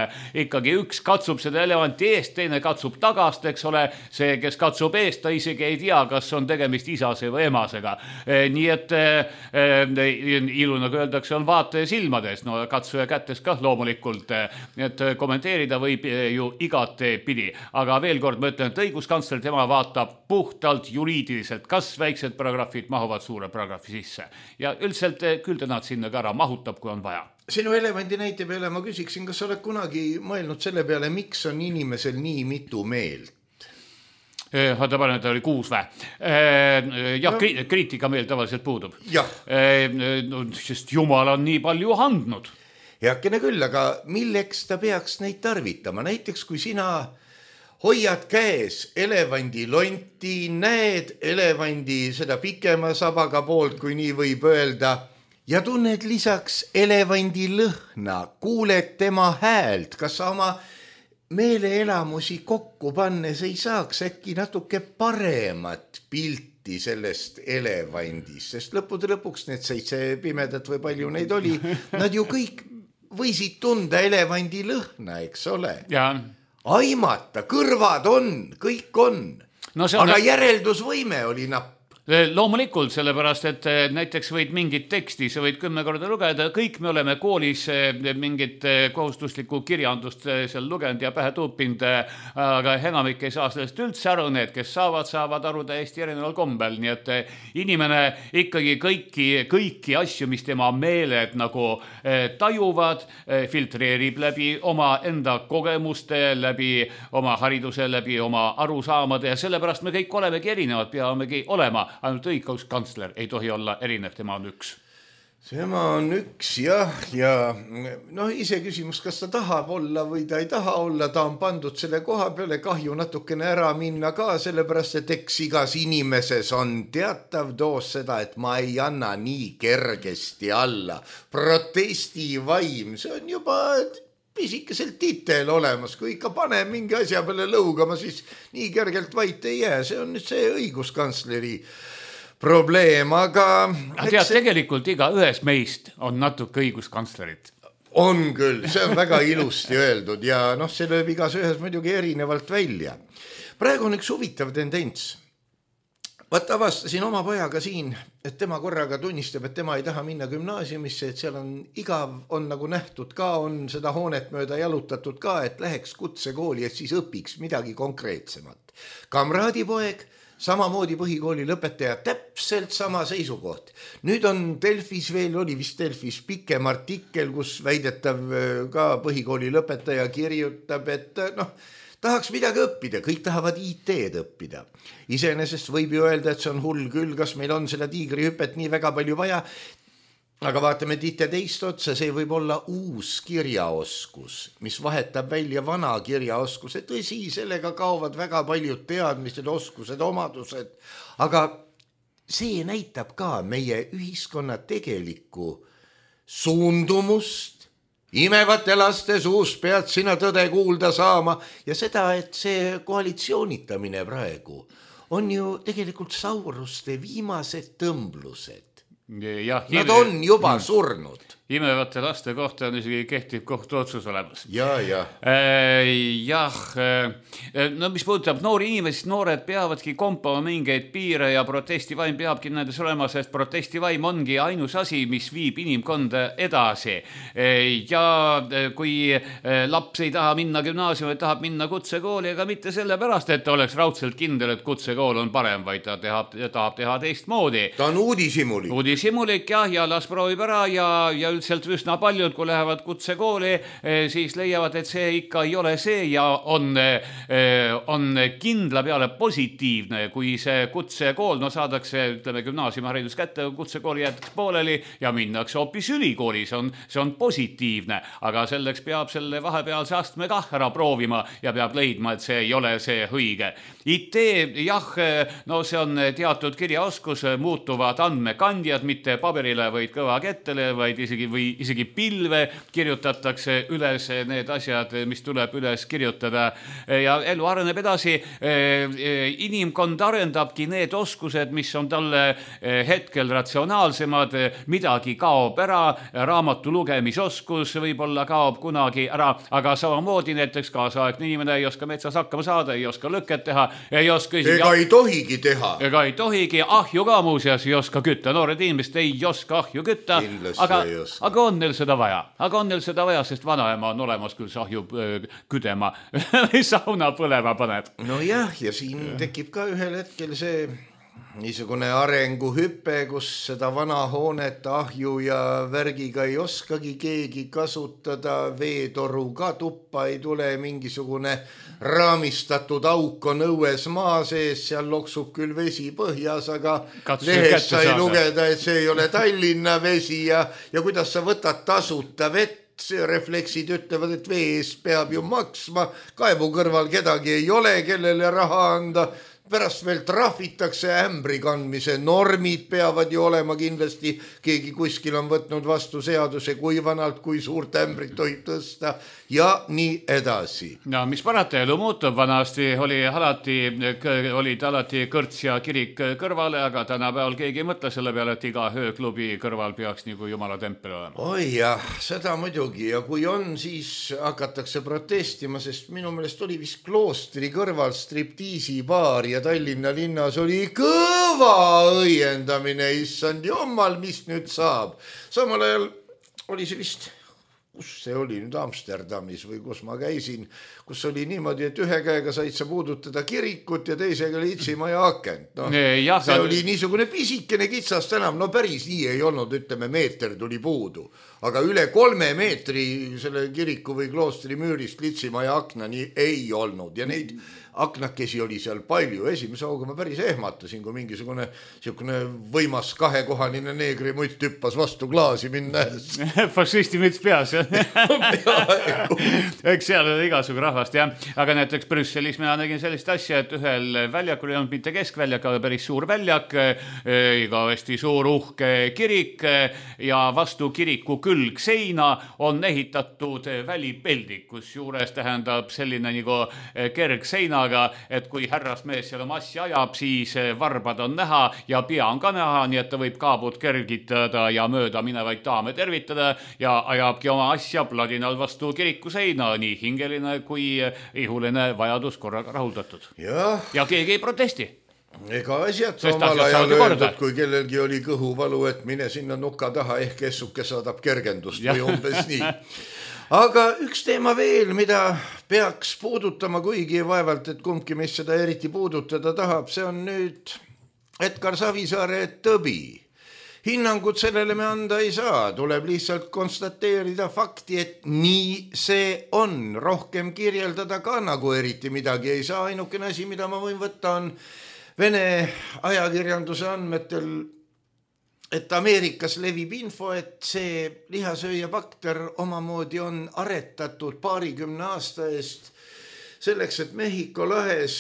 ikkagi üks katsub seda elevanti eest, teine katsub tagast, eks ole, see, kes katsub eest, ta isegi ei tea, kas on tegemist isase või emasega. Nii et ilu, nagu öeldakse, on vaataja silmades, no katsuja kätes ka loomulikult, et kommenteerida võib ju igate pidi. Aga veel kord ma ütlen, et õiguskantsler tema vaatab puhtalt juriidiliselt, kas väiksed paragrahvid mahuvad suure paragrahvi sisse. Ja üldiselt küll ta nad sinna ka ära mahutab, kui on vaja. Sinu elevandi näite peale ma küsiksin, kas oled kunagi mõelnud selle peale, miks on inimesel nii mitu meelt? Vaata panen, et oli 6 vä. Jah, kriitika meil tavaliselt puudub. Sest Jumal on nii palju andnud. Heakene küll, aga milleks ta peaks neid tarvitama? Näiteks kui sina hoiad käes elevandi lonti, näed elevandi seda pikema sabaga poolt, kui nii võib öelda, ja tunned lisaks elevandi lõhna, kuuled tema häält, kas sa oma meeleelamusi kokku pannes ei saaks äkki natuke paremat pilti sellest elevandist, sest lõppude lõpuks need 7 pimedat või palju neid oli, nad ju kõik võisid tunda elevandi lõhna, eks ole? Aimata, kõrvad on, kõik on, no aga järeldusvõime oli napp. Loomulikult, sellepärast, et näiteks võid mingit teksti, sa võid 10 korda lugeda, kõik me oleme koolis mingit kohustuslikku kirjandust seal lugenud ja pähe tuupinud, aga enamik ei saa sellest üldse aru, need, kes saavad aru täiesti erineval kombel, nii et inimene ikkagi kõiki asju, mis tema meeled nagu tajuvad, filtreerib läbi oma enda kogemuste, läbi oma hariduse, läbi oma arusaamade ja sellepärast me kõik olemegi erinevad, peamegi olema. Ainult õiguskantsler ei tohi olla erinev, tema on üks. Tema on üks, jah, ja no ise küsimus, kas ta tahab olla või ta ei taha olla, ta on pandud selle koha peale, kahju natukene ära minna ka, sellepärast, et eks igas inimeses on teatav doos seda, et ma ei anna nii kergesti alla. Protestivaim, see on juba pisikeselt titel olemas, kui ikka pane mingi asja peale lõugama, siis nii kergelt vait ei jää, see on nüüd see õiguskantsleri probleem, aga tead, tegelikult iga ühes meist on natuke õiguskantslerit. On küll, see on väga ilusti öeldud ja see lööb igas ühes muidugi erinevalt välja. Praegu on üks huvitav tendents. Vaata, avastasin oma pojaga siin, et tema korraga tunnistab, et tema ei taha minna gümnaasiumisse, et seal on igav, on nagu nähtud ka, on seda hoonet mööda jalutatud ka, et läheks kutsekooli, et siis õpiks midagi konkreetsemat. Kamraadipoeg, samamoodi põhikooli lõpetaja, täpselt sama seisukoht. Nüüd on Delfis veel, oli vist Delfis pikem artikkel, kus väidetav ka põhikooli lõpetaja kirjutab, et tahaks midagi õppida, kõik tahavad IT-d õppida. Iseenesest võib ju öelda, et see on hull küll, kas meil on seda tiigrihüpet nii väga palju vaja, aga vaatame tihti teist otsa, see võib olla uus kirjaoskus, mis vahetab välja vana kirjaoskuse. Tõsi, sellega kaovad väga paljud teadmised, oskused, omadused, aga see näitab ka meie ühiskonna tegelikku suundumust. Imevate laste suust pead sina tõde kuulda saama ja seda, et see koalitsioonitamine praegu on ju tegelikult sauruste viimased tõmblused. Nad on juba surnud. Imevate laste kohta on isegi kehtiv kohtuotsus olemas. Jah. No mis puudutab noori inimesi, noored peavadki kompama mingeid piire ja protestivaim peabki nendes olema, sest protestivaim ongi ainus asi, mis viib inimkonda edasi. Ja kui laps ei taha minna gümnaasiumi, tahab minna kutsekooli, ega mitte sellepärast, et ta oleks raudselt kindel, et kutsekool on parem, vaid ta tahab teha teistmoodi. Ta on uudishimulik. Uudishimulik ja las proovib ära ja üldiselt üsna paljud, kui lähevad kutsekooli, siis leiavad, et see ikka ei ole see ja on kindla peale positiivne, kui see kutsekool, saadakse, ütleme, gümnaasiumiharidus kätte, kutsekooli jäetakse pooleli ja minnakse hoopis ülikooli, see on positiivne, aga selleks peab selle vahepealse astme kah ära proovima ja peab leidma, et see ei ole see õige. IT, see on teatud kirjaoskus, muutuvad andmekandjad, mitte paberile, vaid kõvakettele, vaid isegi pilve kirjutatakse üles need asjad, mis tuleb üles kirjutada ja elu areneb edasi. Inimkond arendabki need oskused, mis on talle hetkel ratsionaalsemad, midagi kaob ära, raamatu lugemisoskus võib-olla kaob kunagi ära, aga samamoodi näiteks kaasaegne inimene ei oska metsas hakkama saada, ei oska lõket teha, ei oska ei tohigi teha. Ega ei tohigi, ahju ka muuseas ei oska kütta, noored inimesed ei oska ahju kütta, aga on neil seda vaja, sest vanaema on olemas, küll ahju küdema või sauna põlema paneb. Ja siin tekib ka ühel hetkel see niisugune arenguhüpe, kus seda vana hoonet ahju ja värgiga ei oskagi keegi kasutada, veetoru ka tuppa ei tule, mingisugune raamistatud auk on õues maa sees, seal loksub küll vesi põhjas, aga lehest sai lugeda, et see ei ole Tallinna vesi ja kuidas sa võtad tasuta vett, refleksid ütlevad, et vee eest peab ju maksma, kaevu kõrval kedagi ei ole, kellele raha anda, pärast veel trahvitakse, ämbri kandmise normid peavad ju olema kindlasti, keegi kuskil on võtnud vastu seaduse, kui vanalt, kui suurt ämbrit tohib tõsta ja nii edasi. No mis parata, elu muutub, vanasti olid alati kõrts ja kirik kõrvale, aga tänapäeval keegi ei mõtle selle peale, et iga ööklubi kõrval peaks nagu jumala tempel olema. Oi jah, seda muidugi ja kui on, siis hakatakse protestima, sest minu meelest oli vist Kloostri kõrval striptiisi baar ja Tallinna linnas oli kõva õiendamine, issand jummal, mis nüüd saab. Samal ajal oli see vist, kus see oli nüüd Amsterdamis või kus ma käisin, kus oli niimoodi, et ühe käega said sa puudutada kirikut ja teisega litsimaja akent. See oli niisugune pisikene kitsas tänav, päris nii ei olnud, ütleme meeter tuli puudu, aga üle 3 meetri selle kiriku või kloostri müürist litsimaja aknani ei olnud ja neid aknakesi oli seal palju. Esimese hooga ma päris ehmatasin, kui mingisugune võimas kahekohanine neegrimutt hüppas vastu klaasi minna. Fašisti müts peas, jah? Eks seal oli igasugu rahvast, jah. Aga näiteks Brüsselis mina nägin sellist asja, et ühel väljakul ei olnud mitte keskväljak, aga päris suur väljak, igavesti suur uhke kirik ja vastu kiriku külg seina on ehitatud välipeldik, kus juures tähendab selline nagu kergseina, et kui härrasmees seal oma asja ajab, siis varbad on näha ja pea on ka näha, nii et ta võib kaabud kergitada ja mööda minevaid daame tervitada ja ajabki oma asja pladinal vastu kiriku seina, nii hingeline kui ihuline vajadus korraga rahuldatud. Ja keegi ei protesti. Ega asjad omal ajal öeldud, kui kellelgi oli kõhuvalu, et mine sinna nuka taha, ehk essuke saadab kergendust või umbes nii. Aga üks teema veel, mida peaks puudutama, kuigi vaevalt, et kumbki meist seda eriti puudutada tahab, see on nüüd Edgar Savisaare tõbi. Hinnangut sellele me anda ei saa, tuleb lihtsalt konstateerida fakti, et nii see on. Rohkem kirjeldada ka nagu eriti midagi ei saa. Ainukene asi, mida ma võin võtta, on Vene ajakirjanduse andmetel, et Ameerikas levib info, et see lihasööja bakter omamoodi on aretatud 20 aasta eest selleks, et Mehhiko lahes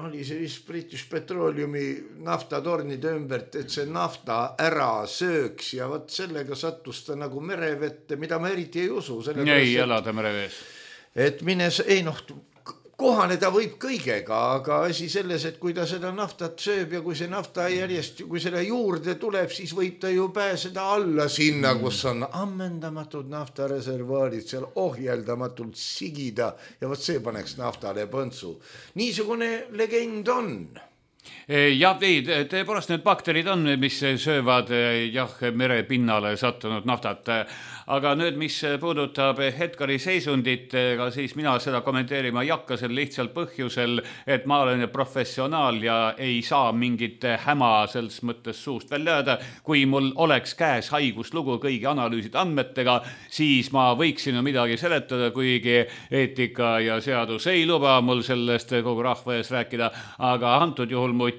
oli see vist British Petroleumi naftatornide ümbert, et see nafta ära sööks ja vot sellega sattus ta nagu merevette, mida ma eriti ei usu. Ei elada merevees. Et mines, ei kohaneda võib kõigega, aga asi selles, et kui ta seda naftat sööb ja kui see nafta järjest, kui selle juurde tuleb, siis võib ta ju pääseda alla sinna, kus on ammendamatud naftareservaarid, seal ohjeldamatult sigida ja vot see paneks naftale põntsu. Niisugune legend on. Jah, tõepoolest need bakterid on, mis söövad merepinnale sattunud naftat. Aga nüüd, mis puudutab Edgari seisundit, siis mina seda kommenteerima ei hakka sel lihtsalt põhjusel, et ma olen professionaal ja ei saa mingit häma selles mõttes suust välja jääda. Kui mul oleks käes haiguslugu kõigi analüüside andmetega, siis ma võiksin midagi seletada, kuigi eetika ja seadus ei luba mul sellest kogu rahva ees rääkida, aga antud juhul mul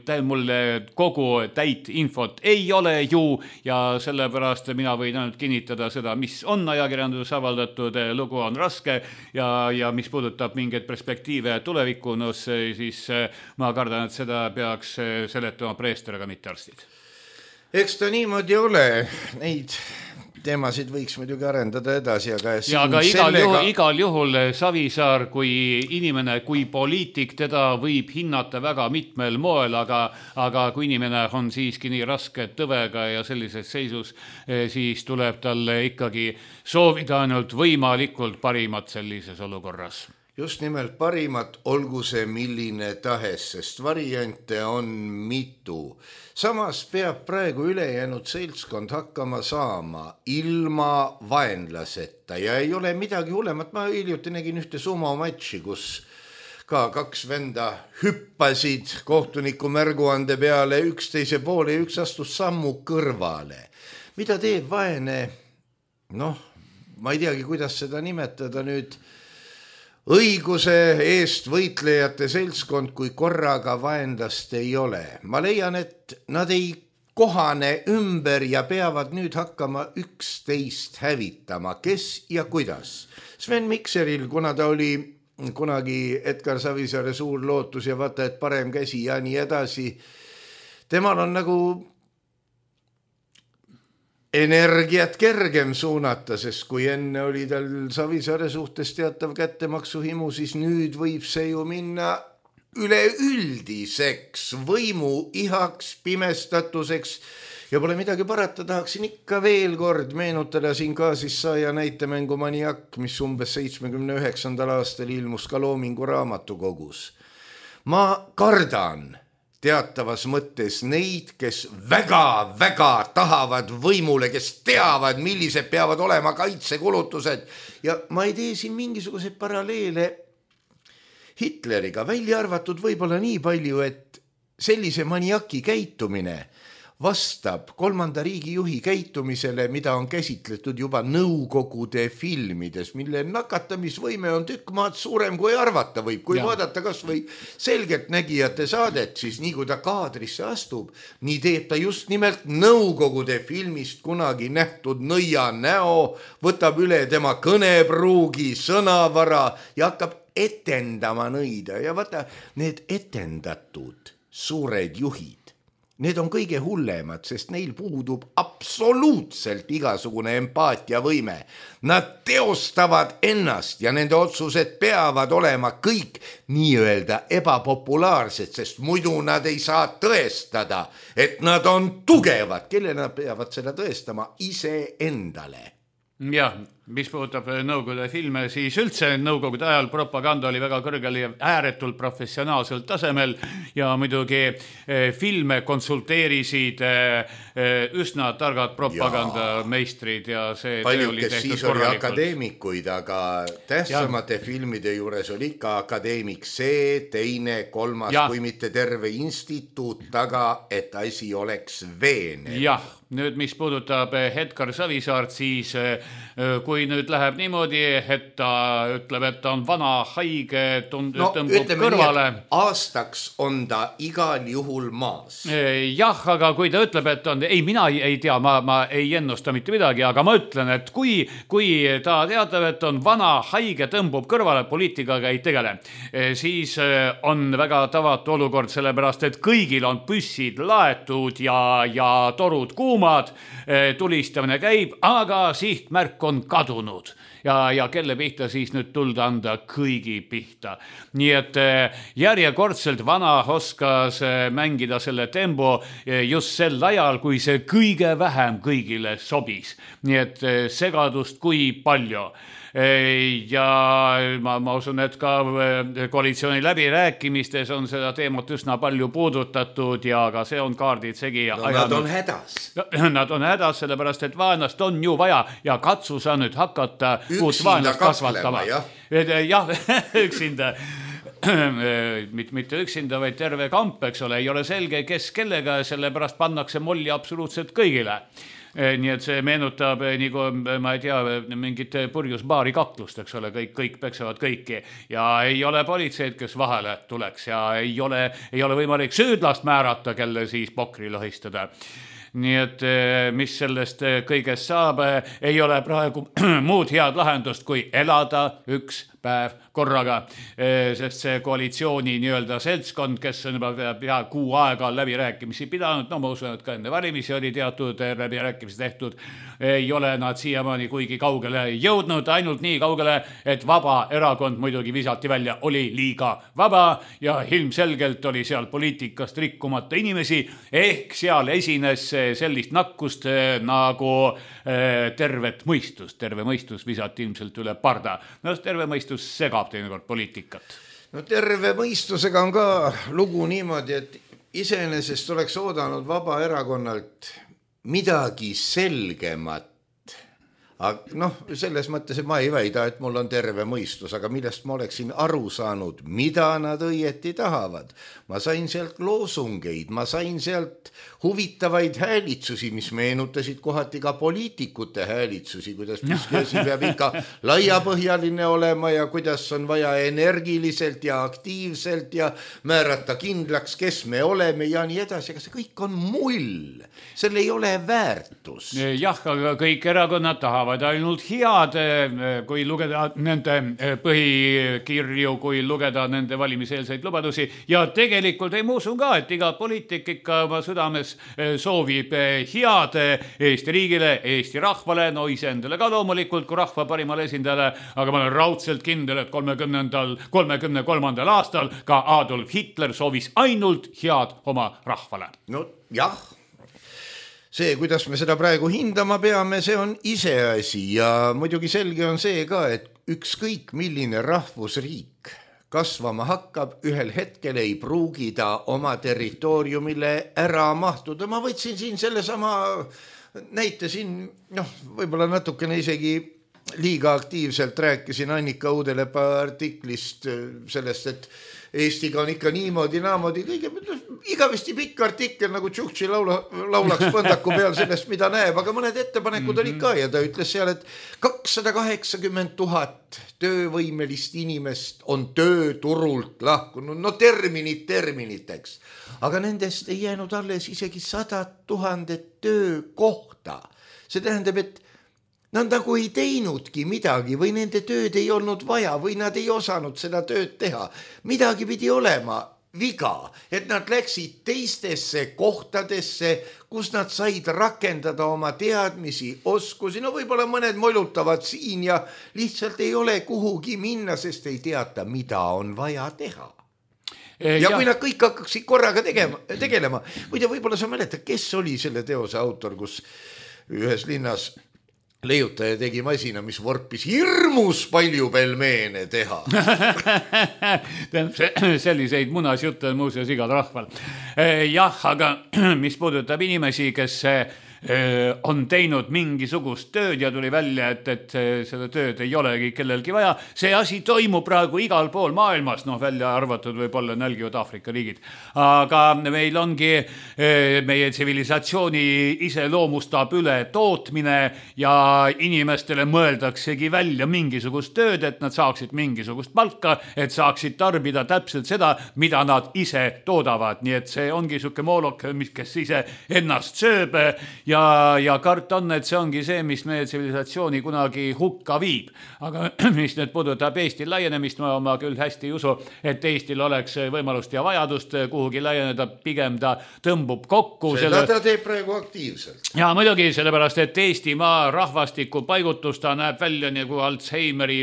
kogu täit infot ei ole ju ja sellepärast mina võin ainult kinnitada seda, mis on ajakirjanduses avaldatud, lugu on raske ja mis puudutab mingeid perspektiive tulevikku, siis ma kardan, et seda peaks seletama preester, aga mitte arstid. Eks ta niimoodi ole, neid teemasid võiks muidugi arendada edasi, aga igal juhul Savisaar kui inimene, kui poliitik, teda võib hinnata väga mitmel moel, aga kui inimene on siiski nii raske tõvega ja sellises seisus, siis tuleb talle ikkagi soovida ainult võimalikult parimat sellises olukorras. Just nimelt parimat, olgu see milline tahes, sest variante on mitu. Samas peab praegu ülejäänud seltskond hakkama saama ilma vaenlaseta ja ei ole midagi hullemat. Ma hiljuti nägin ühte sumomatši, kus ka kaks venda hüppasid kohtuniku märguande peale üksteise poole ja üks astus sammu kõrvale. Mida teeb vaene? Ma ei teagi, kuidas seda nimetada nüüd. Õiguse eest võitlejate seltskond, kui korraga vaenlast ei ole. Ma leian, et nad ei kohane ümber ja peavad nüüd hakkama üksteist hävitama. Kes ja kuidas? Sven Mikseril, kuna ta oli kunagi Edgar Savisaare suur lootus ja vaata, et parem käsi ja nii edasi, temal on nagu energiat kergem suunata, sest kui enne oli tal Savisaare suhtes teatav kättemaksuhimu, siis nüüd võib see ju minna üleüldiseks võimu ihaks, pimestatuseks ja pole midagi parata, tahaksin ikka veel kord meenutada siin Kaasissaaja näitemängu Maniak, mis umbes 79. aastal ilmus ka Loomingu raamatukogus. Ma kardan teatavas mõttes neid, kes väga tahavad võimule, kes teavad, millised peavad olema kaitsekulutused ja ma ei tee siin mingisuguseid paralleele Hitleriga, välja arvatud võib-olla nii palju, et sellise maniaki käitumine vastab kolmanda riigi juhi käitumisele, mida on käsitletud juba Nõukogude filmides, mille nakatamisvõime on tükk maad suurem kui arvata võib. Kui vaadata kas või selgeltnägijate saadet, siis nii kui ta kaadrisse astub, nii teeb ta just nimelt Nõukogude filmist kunagi nähtud nõia näo, võtab üle tema kõnepruugi, sõnavara ja hakkab etendama nõida. Ja vaata, need etendatud suured juhid, need on kõige hullemad, sest neil puudub absoluutselt igasugune empaatiavõime. Nad teostavad ennast ja nende otsused peavad olema kõik nii-öelda ebapopulaarsed, sest muidu nad ei saa tõestada, et nad on tugevad. Kelle nad peavad seda tõestama? Iseendale. Jah, mis puudutab Nõukogude filme, siis üldse Nõukogude ajal propaganda oli väga kõrgel ja ääretult professionaalsel tasemel ja muidugi filme konsulteerisid üsna targad propagandameistrid ja see paljud, kes siis oli akadeemikuid, aga tähtsamate filmide juures oli ikka akadeemik see, teine, kolmas, kui mitte terve instituut taga, et asi oleks veenev. Jah, nüüd mis puudutab Edgar Savisaart, siis kui kui nüüd läheb niimoodi, et ta ütleb, et ta on vana, haige, tõmbub kõrvale. Aastaks on ta igal juhul maas. Jah, aga kui ta ütleb, et on, ei, mina ei tea, ma ei ennusta mitte midagi, aga ma ütlen, et kui ta teatab, et on vana, haige, tõmbub kõrvale, poliitikaga ei tegele, siis on väga tavatu olukord, sellepärast, et kõigil on püssid laetud ja torud kuumad, tulistamine käib, aga sihtmärk on kadunud ja kelle pihta siis nüüd tulda anda, kõigi pihta. Nii et järjekordselt vana oskas mängida selle tempo just sel ajal, kui see kõige vähem kõigile sobis. Nii et segadust kui palju. Ja ma usun, et ka koalitsiooni läbirääkimistes on seda teemat üsna palju puudutatud ja ka see on kaardid segi. No, nad on hädas. Nad on hädas, sellepärast, et vaenast on ju vaja ja katsu sa nüüd hakata uut vaenast kasvatama. Jah, üksinda. Mitte üksinda, vaid terve kamp, eks ole, ei ole selge, kes kellega, sellepärast pannakse molli absoluutselt kõigile. Nii et see meenutab nagu, ma ei tea, mingit purjusbaari kaklust, eks ole, kõik peksavad kõiki ja ei ole politseid, kes vahele tuleks ja ei ole võimalik süüdlast määrata, kelle siis pokri lohistada. Nii et mis sellest kõigest saab, ei ole praegu muud head lahendust, kui elada üks päev korraga, sest see koalitsiooni nii-öelda seltskond, kes on juba pea kuu aega läbirääkimisi pidanud, no ma usun, et ka enne valimisi oli teatud läbirääkimisi tehtud, ei ole nad siiamaani kuigi kaugele jõudnud, ainult nii kaugele, et vaba erakond muidugi visati välja, oli liiga vaba ja ilmselgelt oli seal poliitikast rikkumata inimesi, ehk seal esines sellist nakkust nagu tervet mõistust. Terve mõistus visati ilmselt üle parda. No terve mõistus segab teinekord poliitikat. No terve mõistusega on ka lugu niimoodi, et iseenesest oleks oodanud vaba erakonnalt midagi selgemat. Aga selles mõttes, et ma ei väida, et mul on terve mõistus, aga millest ma oleksin aru saanud, mida nad õieti tahavad. Ma sain sealt loosungeid, ma sain sealt huvitavaid häälitsusi, mis meenutasid kohati ka poliitikute häälitsusi, kuidas miski peab ikka laiapõhjaline olema ja kuidas on vaja energiliselt ja aktiivselt ja määrata kindlaks, kes me oleme ja nii edasi, aga see kõik on mull, seal ei ole väärtus. Jah, aga kõik erakonnad tahavad ainult head, kui lugeda nende põhikirju, kui lugeda nende valimiseelseid lubadusi ja tegelikult ei muusun ka, et iga poliitik ikka oma südames soovib head Eesti riigile, Eesti rahvale, no iseendale ka loomulikult kui rahva parimale esindajale, aga ma olen raudselt kindel, et 33. aastal ka Adolf Hitler soovis ainult head oma rahvale. No jah, see, kuidas me seda praegu hindama peame, see on iseasi ja muidugi selge on see ka, et ükskõik milline rahvusriik kasvama hakkab, ühel hetkel ei pruugi ta oma territooriumile ära mahtuda. Ma võtsin siin sellesama näite siin, võib-olla natukene isegi liiga aktiivselt rääkisin Annika Uudelepa artiklist sellest, et Eestiga on ikka niimoodi, naamoodi, igavesti pikk artikkel nagu Tšuhtši laulaks põndaku peal sellest, mida näeb, aga mõned ettepanekud olid ka ja ta ütles seal, et 280 000 töövõimelist inimest on tööturult lahkunud, no terminiteks, aga nendest ei jäänud alles isegi 100 000 töökohta. See tähendab, et nad nagu ei teinudki midagi või nende tööd ei olnud vaja või nad ei osanud seda tööd teha. Midagi pidi olema viga, et nad läksid teistesse kohtadesse, kus nad said rakendada oma teadmisi, oskusi. No võib-olla mõned molutavad siin ja lihtsalt ei ole kuhugi minna, sest ei teata, mida on vaja teha. Ja kui nad kõik hakkaksid korraga tegelema, võib-olla sa mäletad, kes oli selle teose autor, kus ühes linnas leiutaja tegi masina, mis vorpis hirmus palju pelmeene teha. Selliseid munasjutte on muuseas igal rahval. Jah, aga mis puudutab inimesi, kes on teinud mingisugust tööd ja tuli välja, et seda tööd ei olegi kellelgi vaja. See asi toimub praegu igal pool maailmas, välja arvatud võib-olla nälgivad Aafrika riigid. Aga meil ongi meie tsivilisatsiooni iseloomustab üle tootmine ja inimestele mõeldaksegi välja mingisugust tööd, et nad saaksid mingisugust palka, et saaksid tarbida täpselt seda, mida nad ise toodavad. Nii et see ongi suke moolok, kes ise ennast sööb ja kart on, et see ongi see, mis meie tsivilisatsiooni kunagi hukka viib. Aga mis nüüd puudutab Eesti laienemist, ma küll hästi ei usu, et Eestil oleks võimalust ja vajadust kuhugi laieneda, pigem ta tõmbub kokku. Seda ta teeb praegu aktiivselt. Ja muidugi sellepärast, et Eestimaa rahvastiku paigutus ta näeb välja nagu Alzheimeri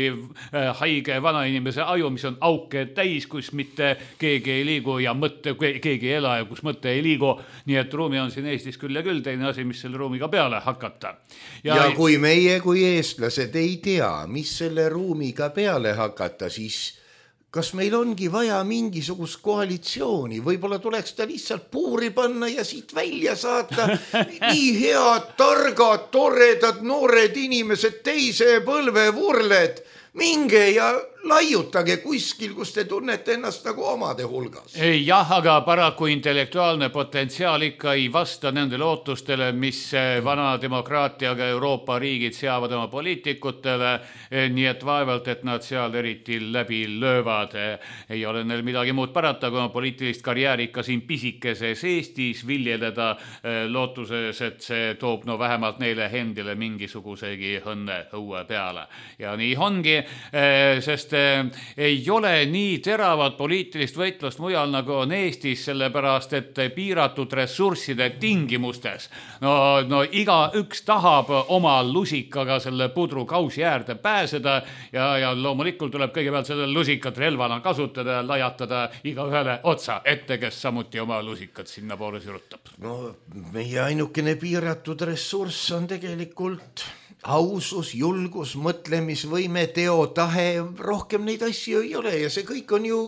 haige vanainimese aju, mis on auke täis, kus mitte keegi ei liigu ja keegi ei ela ja kus mõte ei liigu. Nii et ruumi on siin Eestis küll ja küll, teine asi, mis selle ruumiga peale hakata. Ja kui meie kui eestlased ei tea, mis selle ruumiga peale hakata, siis kas meil ongi vaja mingisugust koalitsiooni, võib-olla tuleks ta lihtsalt puuri panna ja siit välja saata. Nii head, targad, toredad, noored inimesed, teise põlve vurled, minge ja laiutage kuskil, kus te tunnete ennast nagu omade hulgas. Jah, aga paraku intellektuaalne potentsiaal ikka ei vasta nendele ootustele, mis vana demokraatiaga Euroopa riigid seavad oma poliitikutele, nii et vaevalt, et nad seal eriti läbi löövad. Ei ole neil midagi muud parata, kui oma poliitilist karjääri ikka siin pisikeses Eestis viljeleda lootuses, et see toob vähemalt neile endile mingisugusegi õnne õue peale. Ja nii ongi, sest ei ole nii teravat poliitilist võitlust mujal nagu on Eestis, sellepärast et piiratud ressursside tingimustes. No iga üks tahab oma lusikaga selle pudru kausi äärde pääseda ja loomulikult tuleb kõigepealt seda lusikat relvana kasutada ja lajatada iga ühele otsa ette, kes samuti oma lusikat sinna poole sirutab. Meie ainukene piiratud ressurss on tegelikult ausus, julgus, mõtlemisvõime, teotahe, rohkem neid asju ei ole ja see kõik on ju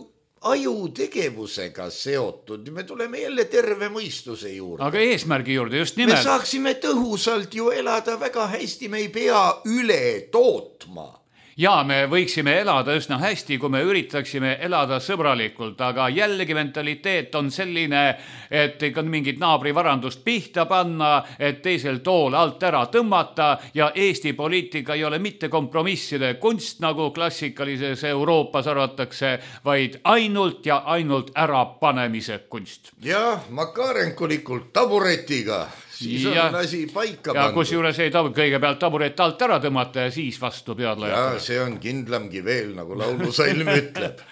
ajutegevusega seotud. Me tuleme jälle terve mõistuse juurde. Aga eesmärgi juurde just nimelt. Me saaksime tõhusalt ju elada väga hästi, me ei pea üle tootma. Ja me võiksime elada üsna hästi, kui me üritaksime elada sõbralikult, aga jällegi mentaliteet on selline, et ikka mingit naabrivarandust pihta panna, et teisel tool alt ära tõmmata ja Eesti poliitika ei ole mitte kompromisside kunst, nagu klassikalises Euroopas arvatakse, vaid ainult ja ainult ärapanemise kunst. Ja makarenkulikult taburetiga. Siis on asi paika pandud. Ja kus juures ei kõigepealt taburet alt ära tõmmata ja siis vastu pead lajata. Ja see on kindlamgi veel, nagu laulusalm ütleb.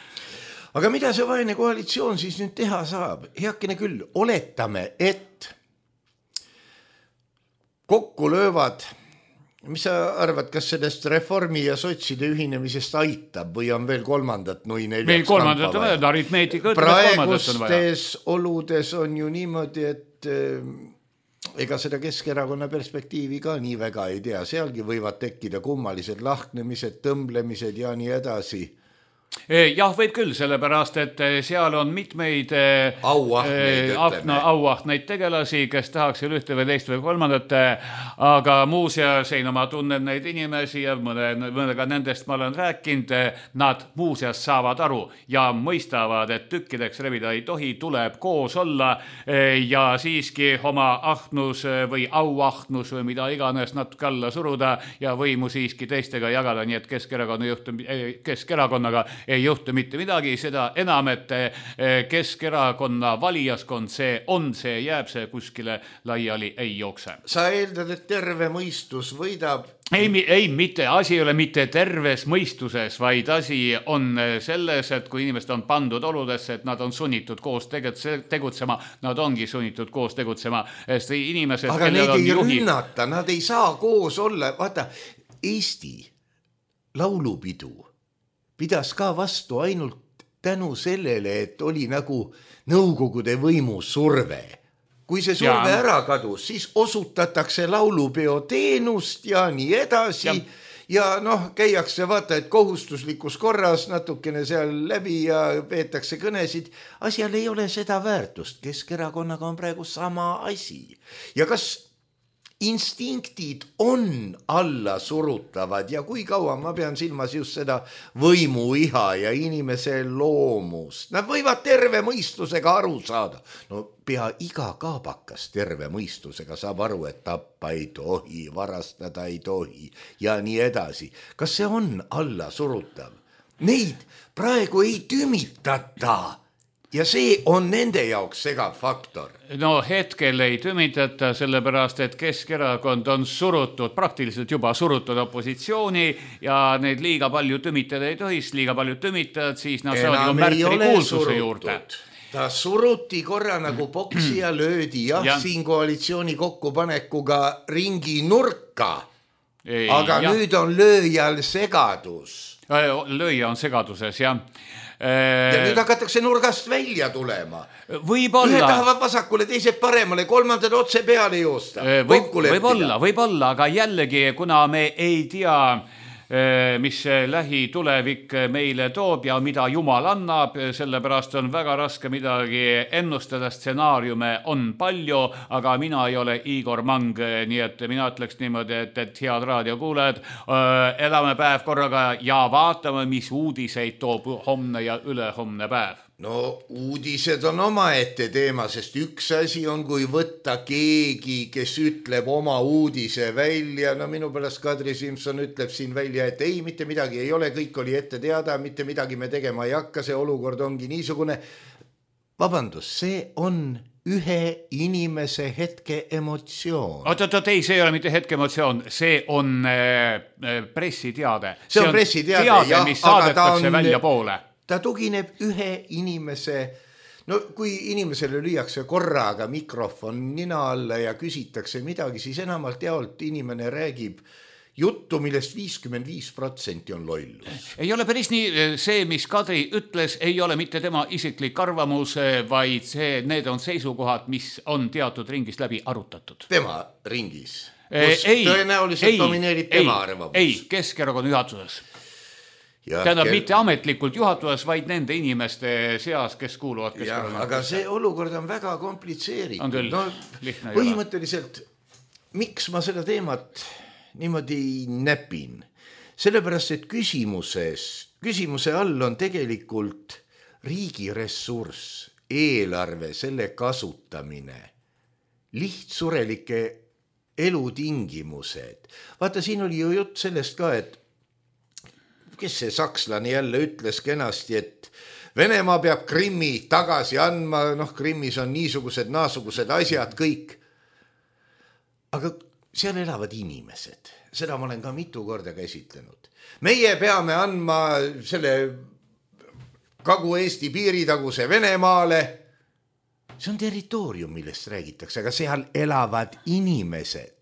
Aga mida see vaene koalitsioon siis nüüd teha saab? Heakene küll, oletame, et kokku löövad. Mis sa arvad, kas sellest reformi ja sotside ühinemisest aitab või on veel kolmandat nui neljaks meil kolmandat on vaja, aritmeetika praegustes oludes on ju niimoodi, et ega seda Keskerakonna perspektiivi ka nii väga ei tea. Sealgi võivad tekkida kummalised lahknemised, tõmblemised ja nii edasi. Jah, võib küll, sellepärast, et seal on mitmeid auahtneid tegelasi, kes tahaks ühte või teist või kolmandat, aga muuseas ei ma tunnen neid inimesi ja mõnega nendest ma olen rääkinud, nad muuseas saavad aru ja mõistavad, et tükkideks revida ei tohi, tuleb koos olla ja siiski oma ahnus või auahnus või mida iganes natuke alla suruda ja võimu siiski teistega jagada, nii et Keskerakonnaga ei juhtu mitte midagi, seda enam, et Keskerakonna valijaskond see jääb, see kuskile laiali ei jookse. Sa eeldad, et terve mõistus võidab? Ei, mitte, asi ei ole mitte terves mõistuses, vaid asi on selles, et kui inimesed on pandud oludesse, et nad on sunnitud koos tegutsema, nad ongi sunnitud koos tegutsema. Inimesed, aga neid ei rünnata, nad ei saa koos olla. Vaata, Eesti laulupidu pidas ka vastu ainult tänu sellele, et oli nagu nõukogude võimu surve. Kui see surve ära kadus, siis osutatakse laulupeo teenust ja nii edasi. Ja käiakse vaata, et kohustuslikus korras natukene seal läbi ja peetakse kõnesid. Asjal ei ole seda väärtust. Keskerakonnaga on praegu sama asi. Ja kas instinktid on alla surutavad ja kui kaua ma pean silmas just seda võimuiha ja inimese loomust. Nad võivad terve mõistusega aru saada. No pea iga kaabakas terve mõistusega saab aru, et tappa ei tohi, varastada ei tohi ja nii edasi. Kas see on alla surutav? Neid praegu ei tümitata. Ja see on nende jaoks segav faktor. No hetkel ei tümitata, sellepärast, et Keskerakond on surutud, praktiliselt juba surutud opositsiooni ja neid liiga palju tümitada ei tohis, liiga palju tümitad, siis nad saavad ju märtri kuulsuse juurde. Ta suruti korra nagu boksi ja löödi siin koalitsiooni kokkupanekuga ringi nurka. Aga nüüd on lööjal segadus. Lööja on segaduses, jah. Ja nüüd hakatakse nurgast välja tulema. Võib-olla. Ühed tahavad vasakule, teised paremale, kolmandad otse peale joosta. Võib-olla, aga jällegi, kuna me ei tea, mis lähitulevik meile toob ja mida Jumal annab, sellepärast on väga raske midagi ennustada, stsenaariume on palju, aga mina ei ole Igor Mang, nii et mina ütleks niimoodi, et head raadiokuulajad, elame päev korraga ja vaatame, mis uudiseid toob homne ja ülehomne päev. No uudised on omaette teema, sest üks asi on, kui võtta keegi, kes ütleb oma uudise välja. No minu pärast Kadri Simson ütleb siin välja, et ei, mitte midagi ei ole, kõik oli ette teada, mitte midagi me tegema ei hakka, see olukord ongi niisugune. Vabandust, see on ühe inimese hetke emotsioon. Ei, see ei ole mitte hetke emotsioon, see on pressiteade. See on pressiteade, mis saadetakse välja poole. Ta tugineb ühe inimese, no kui inimesele lüüakse korraga mikrofon nina alla ja küsitakse midagi, siis enamalt jaolt inimene räägib juttu, millest 55% on lollus. Ei ole päris nii, see, mis Kadri ütles, ei ole mitte tema isiklik arvamus, vaid need on seisukohad, mis on teatud ringis läbi arutatud. Tema ringis? Tõenäoliselt domineerib tema arvamus? Ei, Keskerakonna juhatuses. Tähendab mitte ametlikult juhatuses, vaid nende inimeste seas, kes kuuluvad Keskerakonna. Aga see olukord on väga komplitseeritud. On küll, lihtne ei ole. Põhimõtteliselt, miks ma seda teemat niimoodi näpin? Sellepärast, et küsimuse all on tegelikult riigi ressurss, eelarve, selle kasutamine, lihtsurelike elutingimused. Vaata, siin oli ju jutt sellest ka, et kes see sakslane jälle ütles kenasti, et Venemaa peab Krimmi tagasi andma, Krimmis on niisugused, naasugused asjad kõik. Aga seal elavad inimesed, seda ma olen ka mitu korda käsitlenud. Meie peame andma selle Kagu-Eesti piiritaguse Venemaale. See on territoorium, millest räägitakse, aga seal elavad inimesed.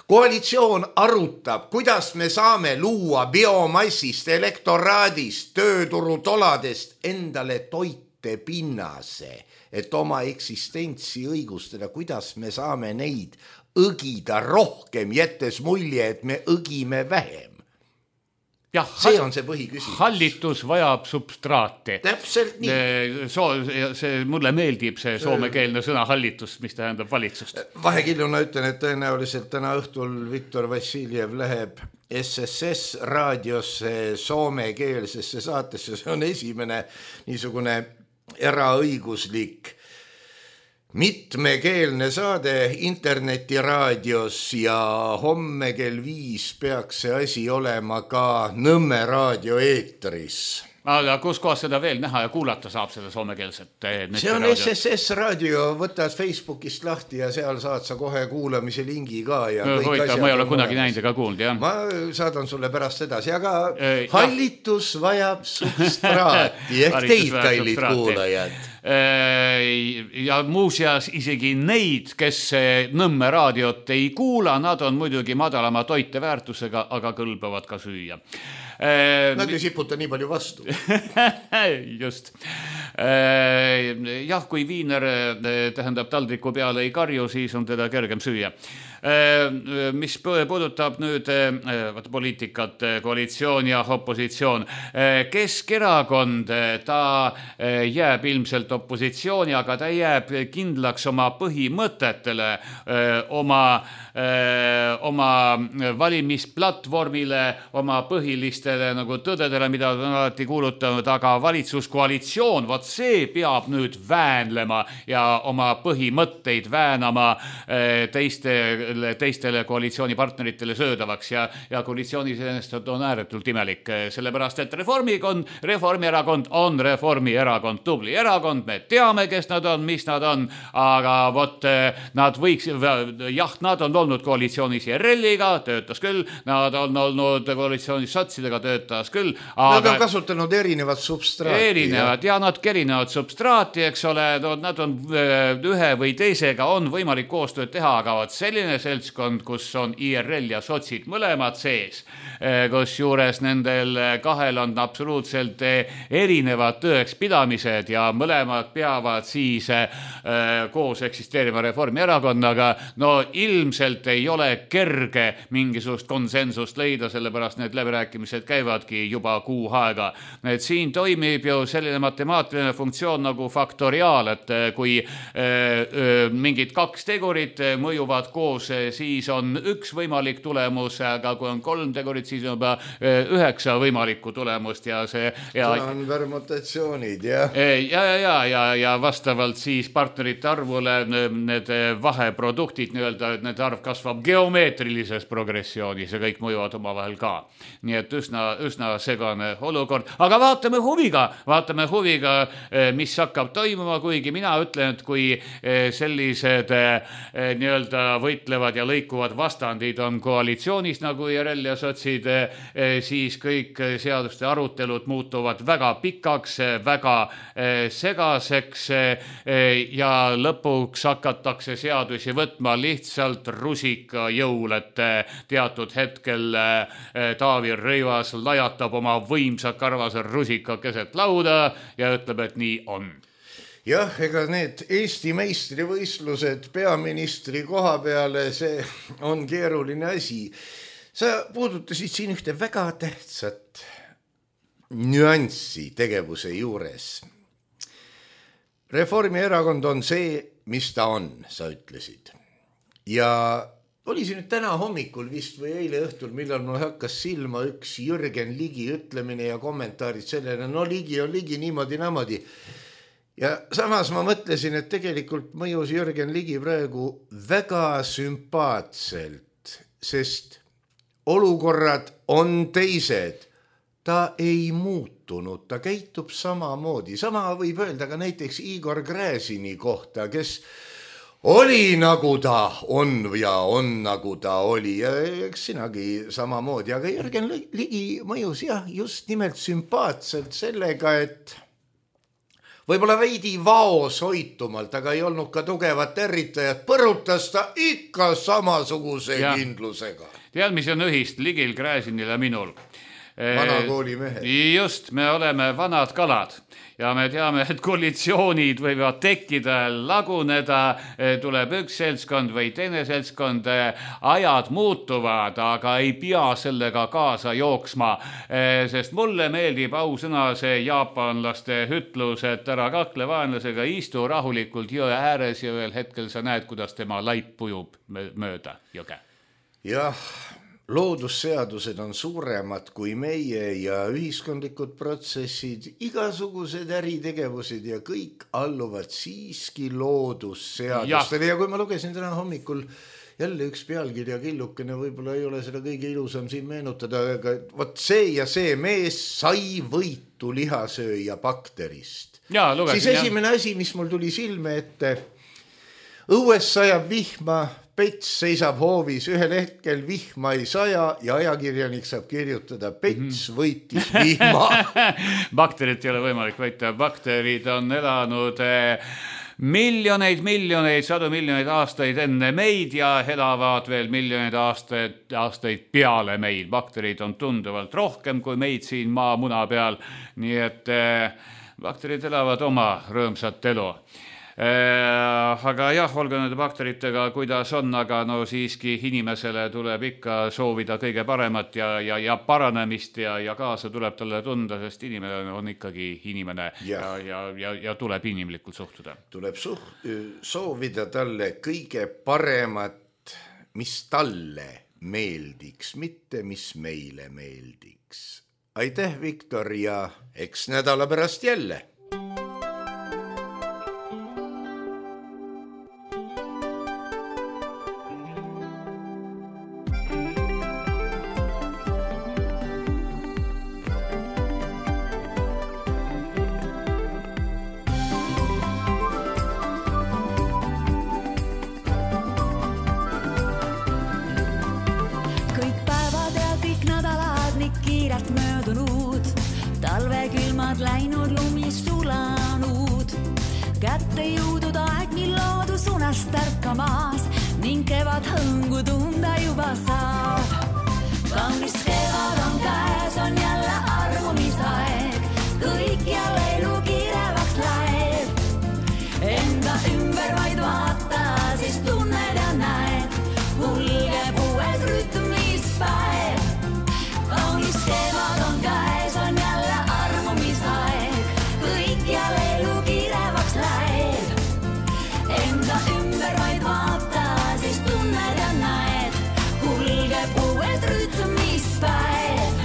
Koalitsioon arutab, kuidas me saame luua biomassist, elektoraadist, tööturutoladest endale toite pinnase, et oma eksistentsi õigustada, kuidas me saame neid õgida rohkem, jättes mulje, et me õgime vähem. See on see põhiküsimus. Hallitus vajab substraati. Täpselt nii. Mulle meeldib see soomekeelne sõna hallitus, mis tähendab valitsust. Vahekilluna ütlen, et tõenäoliselt täna õhtul Viktor Vassiljev läheb SSS raadiosse soomekeelsesse saatesse. See on esimene niisugune eraõiguslik mitmekeelne saade internetiraadios ja homme kell 5 peaks see asi olema ka Nõmme raadio eetris. Aga kus kohas seda veel näha ja kuulata saab seda soomekeelset? See on SSS raadio, võtad Facebookist lahti ja seal saad sa kohe kuulamise lingi ka. Ma ei ole kunagi näinud ega kuulnud, jah. Ma saadan sulle pärast edasi, aga hallitus vajab substraati ehk teid, kallid kuulajad. Ja muuseas isegi neid, kes Nõmme raadiot ei kuula, nad on muidugi madalama toiteväärtusega, aga kõlbavad ka süüa. Nad ei siputa nii palju vastu. Just. Jah, kui viiner tähendab taldriku peale ei karju, siis on teda kergem süüa. Mis puudutab nüüd poliitikat, koalitsioon ja opositsioon. Keskerakond, ta jääb ilmselt opositsiooni, aga ta jääb kindlaks oma põhimõtetele, oma valimisplatvormile, oma põhilistele nagu tõdedele, mida on alati kuulutanud, aga valitsuskoalitsioon, vot see peab nüüd väänlema ja oma põhimõtteid väänama teistele koalitsioonipartneritele söödavaks ja koalitsioonis ennast on ääretult imelik, sellepärast et Reformierakond on Reformierakond, tubli erakond, me teame, kes nad on, mis nad on, aga vot nad võiks, jah, nad on olnud koalitsioonis IRL-iga, töötas küll, nad on olnud koalitsioonis sotsidega, töötas küll, aga nad on kasutanud erinevat substraati. Erinevat substraati, eks ole, nad on ühe või teisega on võimalik koostööd teha, aga vot selline seltskond, kus on IRL ja sotsid mõlemad sees, kus juures nendel kahel on absoluutselt erinevad tõekspidamised ja mõlemad peavad siis koos eksisteerima Reformierakonnaga, no ilmselt ei ole kerge mingisugust konsensust leida, sellepärast need läbirääkimised käivadki juba kuu aega. Et siin toimib ju selline matemaatiline funktsioon nagu faktoriaal, et kui mingid kaks tegurit mõjuvad koos, siis on üks võimalik tulemus, aga kui on kolm tegurit, siis on juba 9 võimalikku tulemust ja see on permutatsioonid, jah. Ja vastavalt siis partnerite arvule need vaheproduktid, need arv kasvab geomeetrilises progressioonis ja kõik mõjuvad omavahel ka. Nii et üsna segane olukord, aga vaatame huviga, mis hakkab toimuma, kuigi mina ütlen, et kui sellised nii-öelda võitlevad ja lõikuvad vastandid on koalitsioonis nagu IRL ja sotsid, siis kõik seaduste arutelud muutuvad väga pikaks, väga segaseks ja lõpuks hakatakse seadusi võtma lihtsalt rusika jõul, et teatud hetkel Taavi Rõivas lajatab oma võimsa karvase rusika keset lauda ja ütleb, et nii on. Jah, ega need Eesti meistrivõistlused peaministri koha peale, see on keeruline asi. Sa puudutasid siin ühte väga tähtsat nüanssi tegevuse juures. Reformierakond on see, mis ta on, sa ütlesid. Ja oli see nüüd täna hommikul vist või eile õhtul, millal mul hakkas silma üks Jürgen Ligi ütlemine ja kommentaarid sellele, no Ligi on Ligi niimoodi. Ja samas ma mõtlesin, et tegelikult mõjus Jürgen Ligi praegu väga sümpaatselt, sest olukorrad on teised. Ta ei muutunud, ta käitub samamoodi. Sama võib öelda ka näiteks Igor Gräzini kohta, kes oli nagu ta on ja on nagu ta oli. Ja eks sinagi samamoodi, aga Jürgen Ligi mõjus jah, just nimelt sümpaatselt sellega, et võib-olla veidi vaoshoitumalt, aga ei olnud ka tugevat territajat, põrutas ta ikka samasuguse kindlusega. Tead, mis on ühist Ligil, Gräzinil ja minul? Vanakooli mehed. Just, me oleme vanad kalad ja me teame, et koalitsioonid võivad tekkida, laguneda, tuleb üks seltskond või teine seltskond, ajad muutuvad, aga ei pea sellega kaasa jooksma, sest mulle meeldib ausõna see jaapanlaste ütlus, et ära kakle vaenlasega, istu rahulikult jõe ääres ja ühel hetkel sa näed, kuidas tema laip pujub mööda jõge. Jah, loodusseadused on suuremad kui meie ja ühiskondlikud protsessid, igasugused äritegevused ja kõik alluvad siiski loodusseadustele. Ja kui ma lugesin täna hommikul jälle üks pealkirja killukene, võib-olla ei ole seda kõige ilusam siin meenutada, aga võt see ja see mees sai võitu lihasööja bakterist. Siis esimene asi, mis mul tuli silme ette, õues sajab vihma, Pets seisab hoovis, ühel hetkel vihma ei saja ja ajakirjanik saab kirjutada, Pets võitis vihma. Bakterit ei ole võimalik võita. Bakterid on elanud miljoneid, sadu miljoneid aastaid enne meid ja elavad veel miljoneid aastaid peale meid. Bakterid on tunduvalt rohkem kui meid siin maamuna peal. Nii et bakterid elavad oma rõõmsat elu. Aga jah, olgu nende bakteritega, kuidas on, aga no siiski inimesele tuleb ikka soovida kõige paremat ja paranemist ja kaasa tuleb talle tunda, sest inimene on ikkagi inimene ja tuleb inimlikult suhtuda. Tuleb soovida talle kõige paremat, mis talle meeldiks, mitte mis meile meeldiks. Aitäh, Viktor, ja eks nädala pärast jälle. Läinud lumis sulanud, kätte jõudud aeg, mil loodus unest tärkamas ning kevad hõngu tunda juba saab. Kaunis kevad on käes, on jälle armumisaeg, kõik jälle elu kirevaks läheb. Enda ümber vaid vaata, siis tunned ja näed, kulgeb uues rütmispäev. Kaunis kevad on käes, on jälle kõik jälle elu kirevaks läheb. Enda ümber vaid vaata, siis tunned ja näed, kulgeb uues rütmispäev.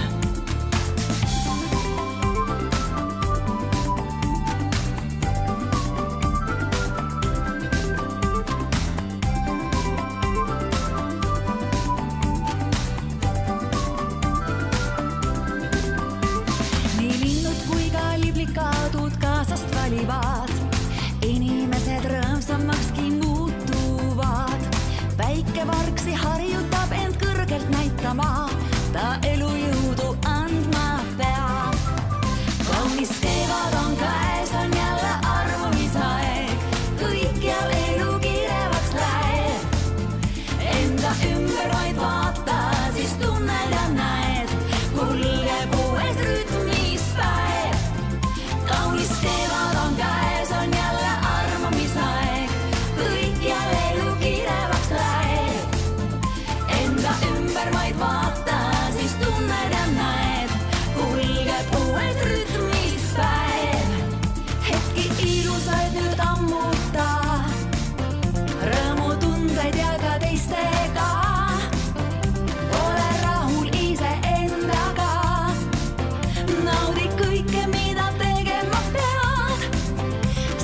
Valivad. Inimesed rõõmsamakski muutuvad. Päike vargsi harjutab end kõrgelt näitama, ta elu jõudu andma peab. Kaunis kevad on käes, on jälle armumisaeg, kõik jälle elu kirevaks läheb. Enda ümber vaid vaata, siis tunned ja näed, kulgeb uues rütmispäev. Kaunis kevad on käes, on jälle armumisaeg, kõik jälle elu kirevaks läheb. Enda ümber vaid vaata, siis tunned ja näed, kulgeb uues rütmispäev. Hetki ilusaid nüüd ammuta, rõõmutundeid ja ka teistega. Ole rahul ise endaga, naudi kõike, mida tegema pead.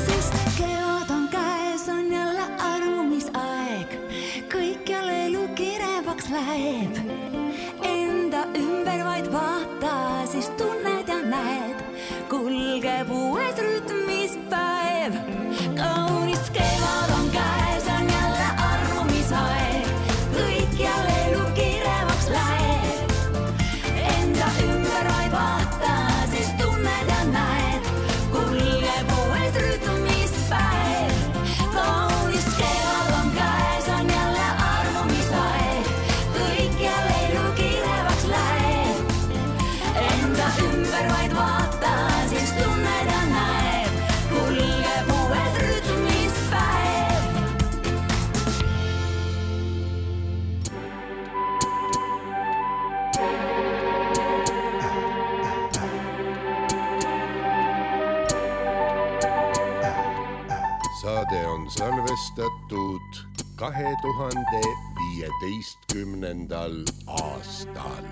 Sest kevad on käes, on jälle armumisaeg, kõik jälle elu kirevaks läheb. Enda ümber vaid vaata, siis tunned ja näed, kulgeb uues rütmispäev. Kaunis kevad on käes, on jälle armumisaeg, kõik jälle elu kirevaks läheb. Enda ümber vaid vaata, siis tunned ja näed, kulgeb uues rütmispäev. Kaunis kevad on käes, on jälle armumisaeg, kõik jälle elu kirevaks läheb. Enda ümber vaid vaata, siis tunned ja näed, kulgeb uues rütmispäev. Saade on salvestatud 2015. aastal.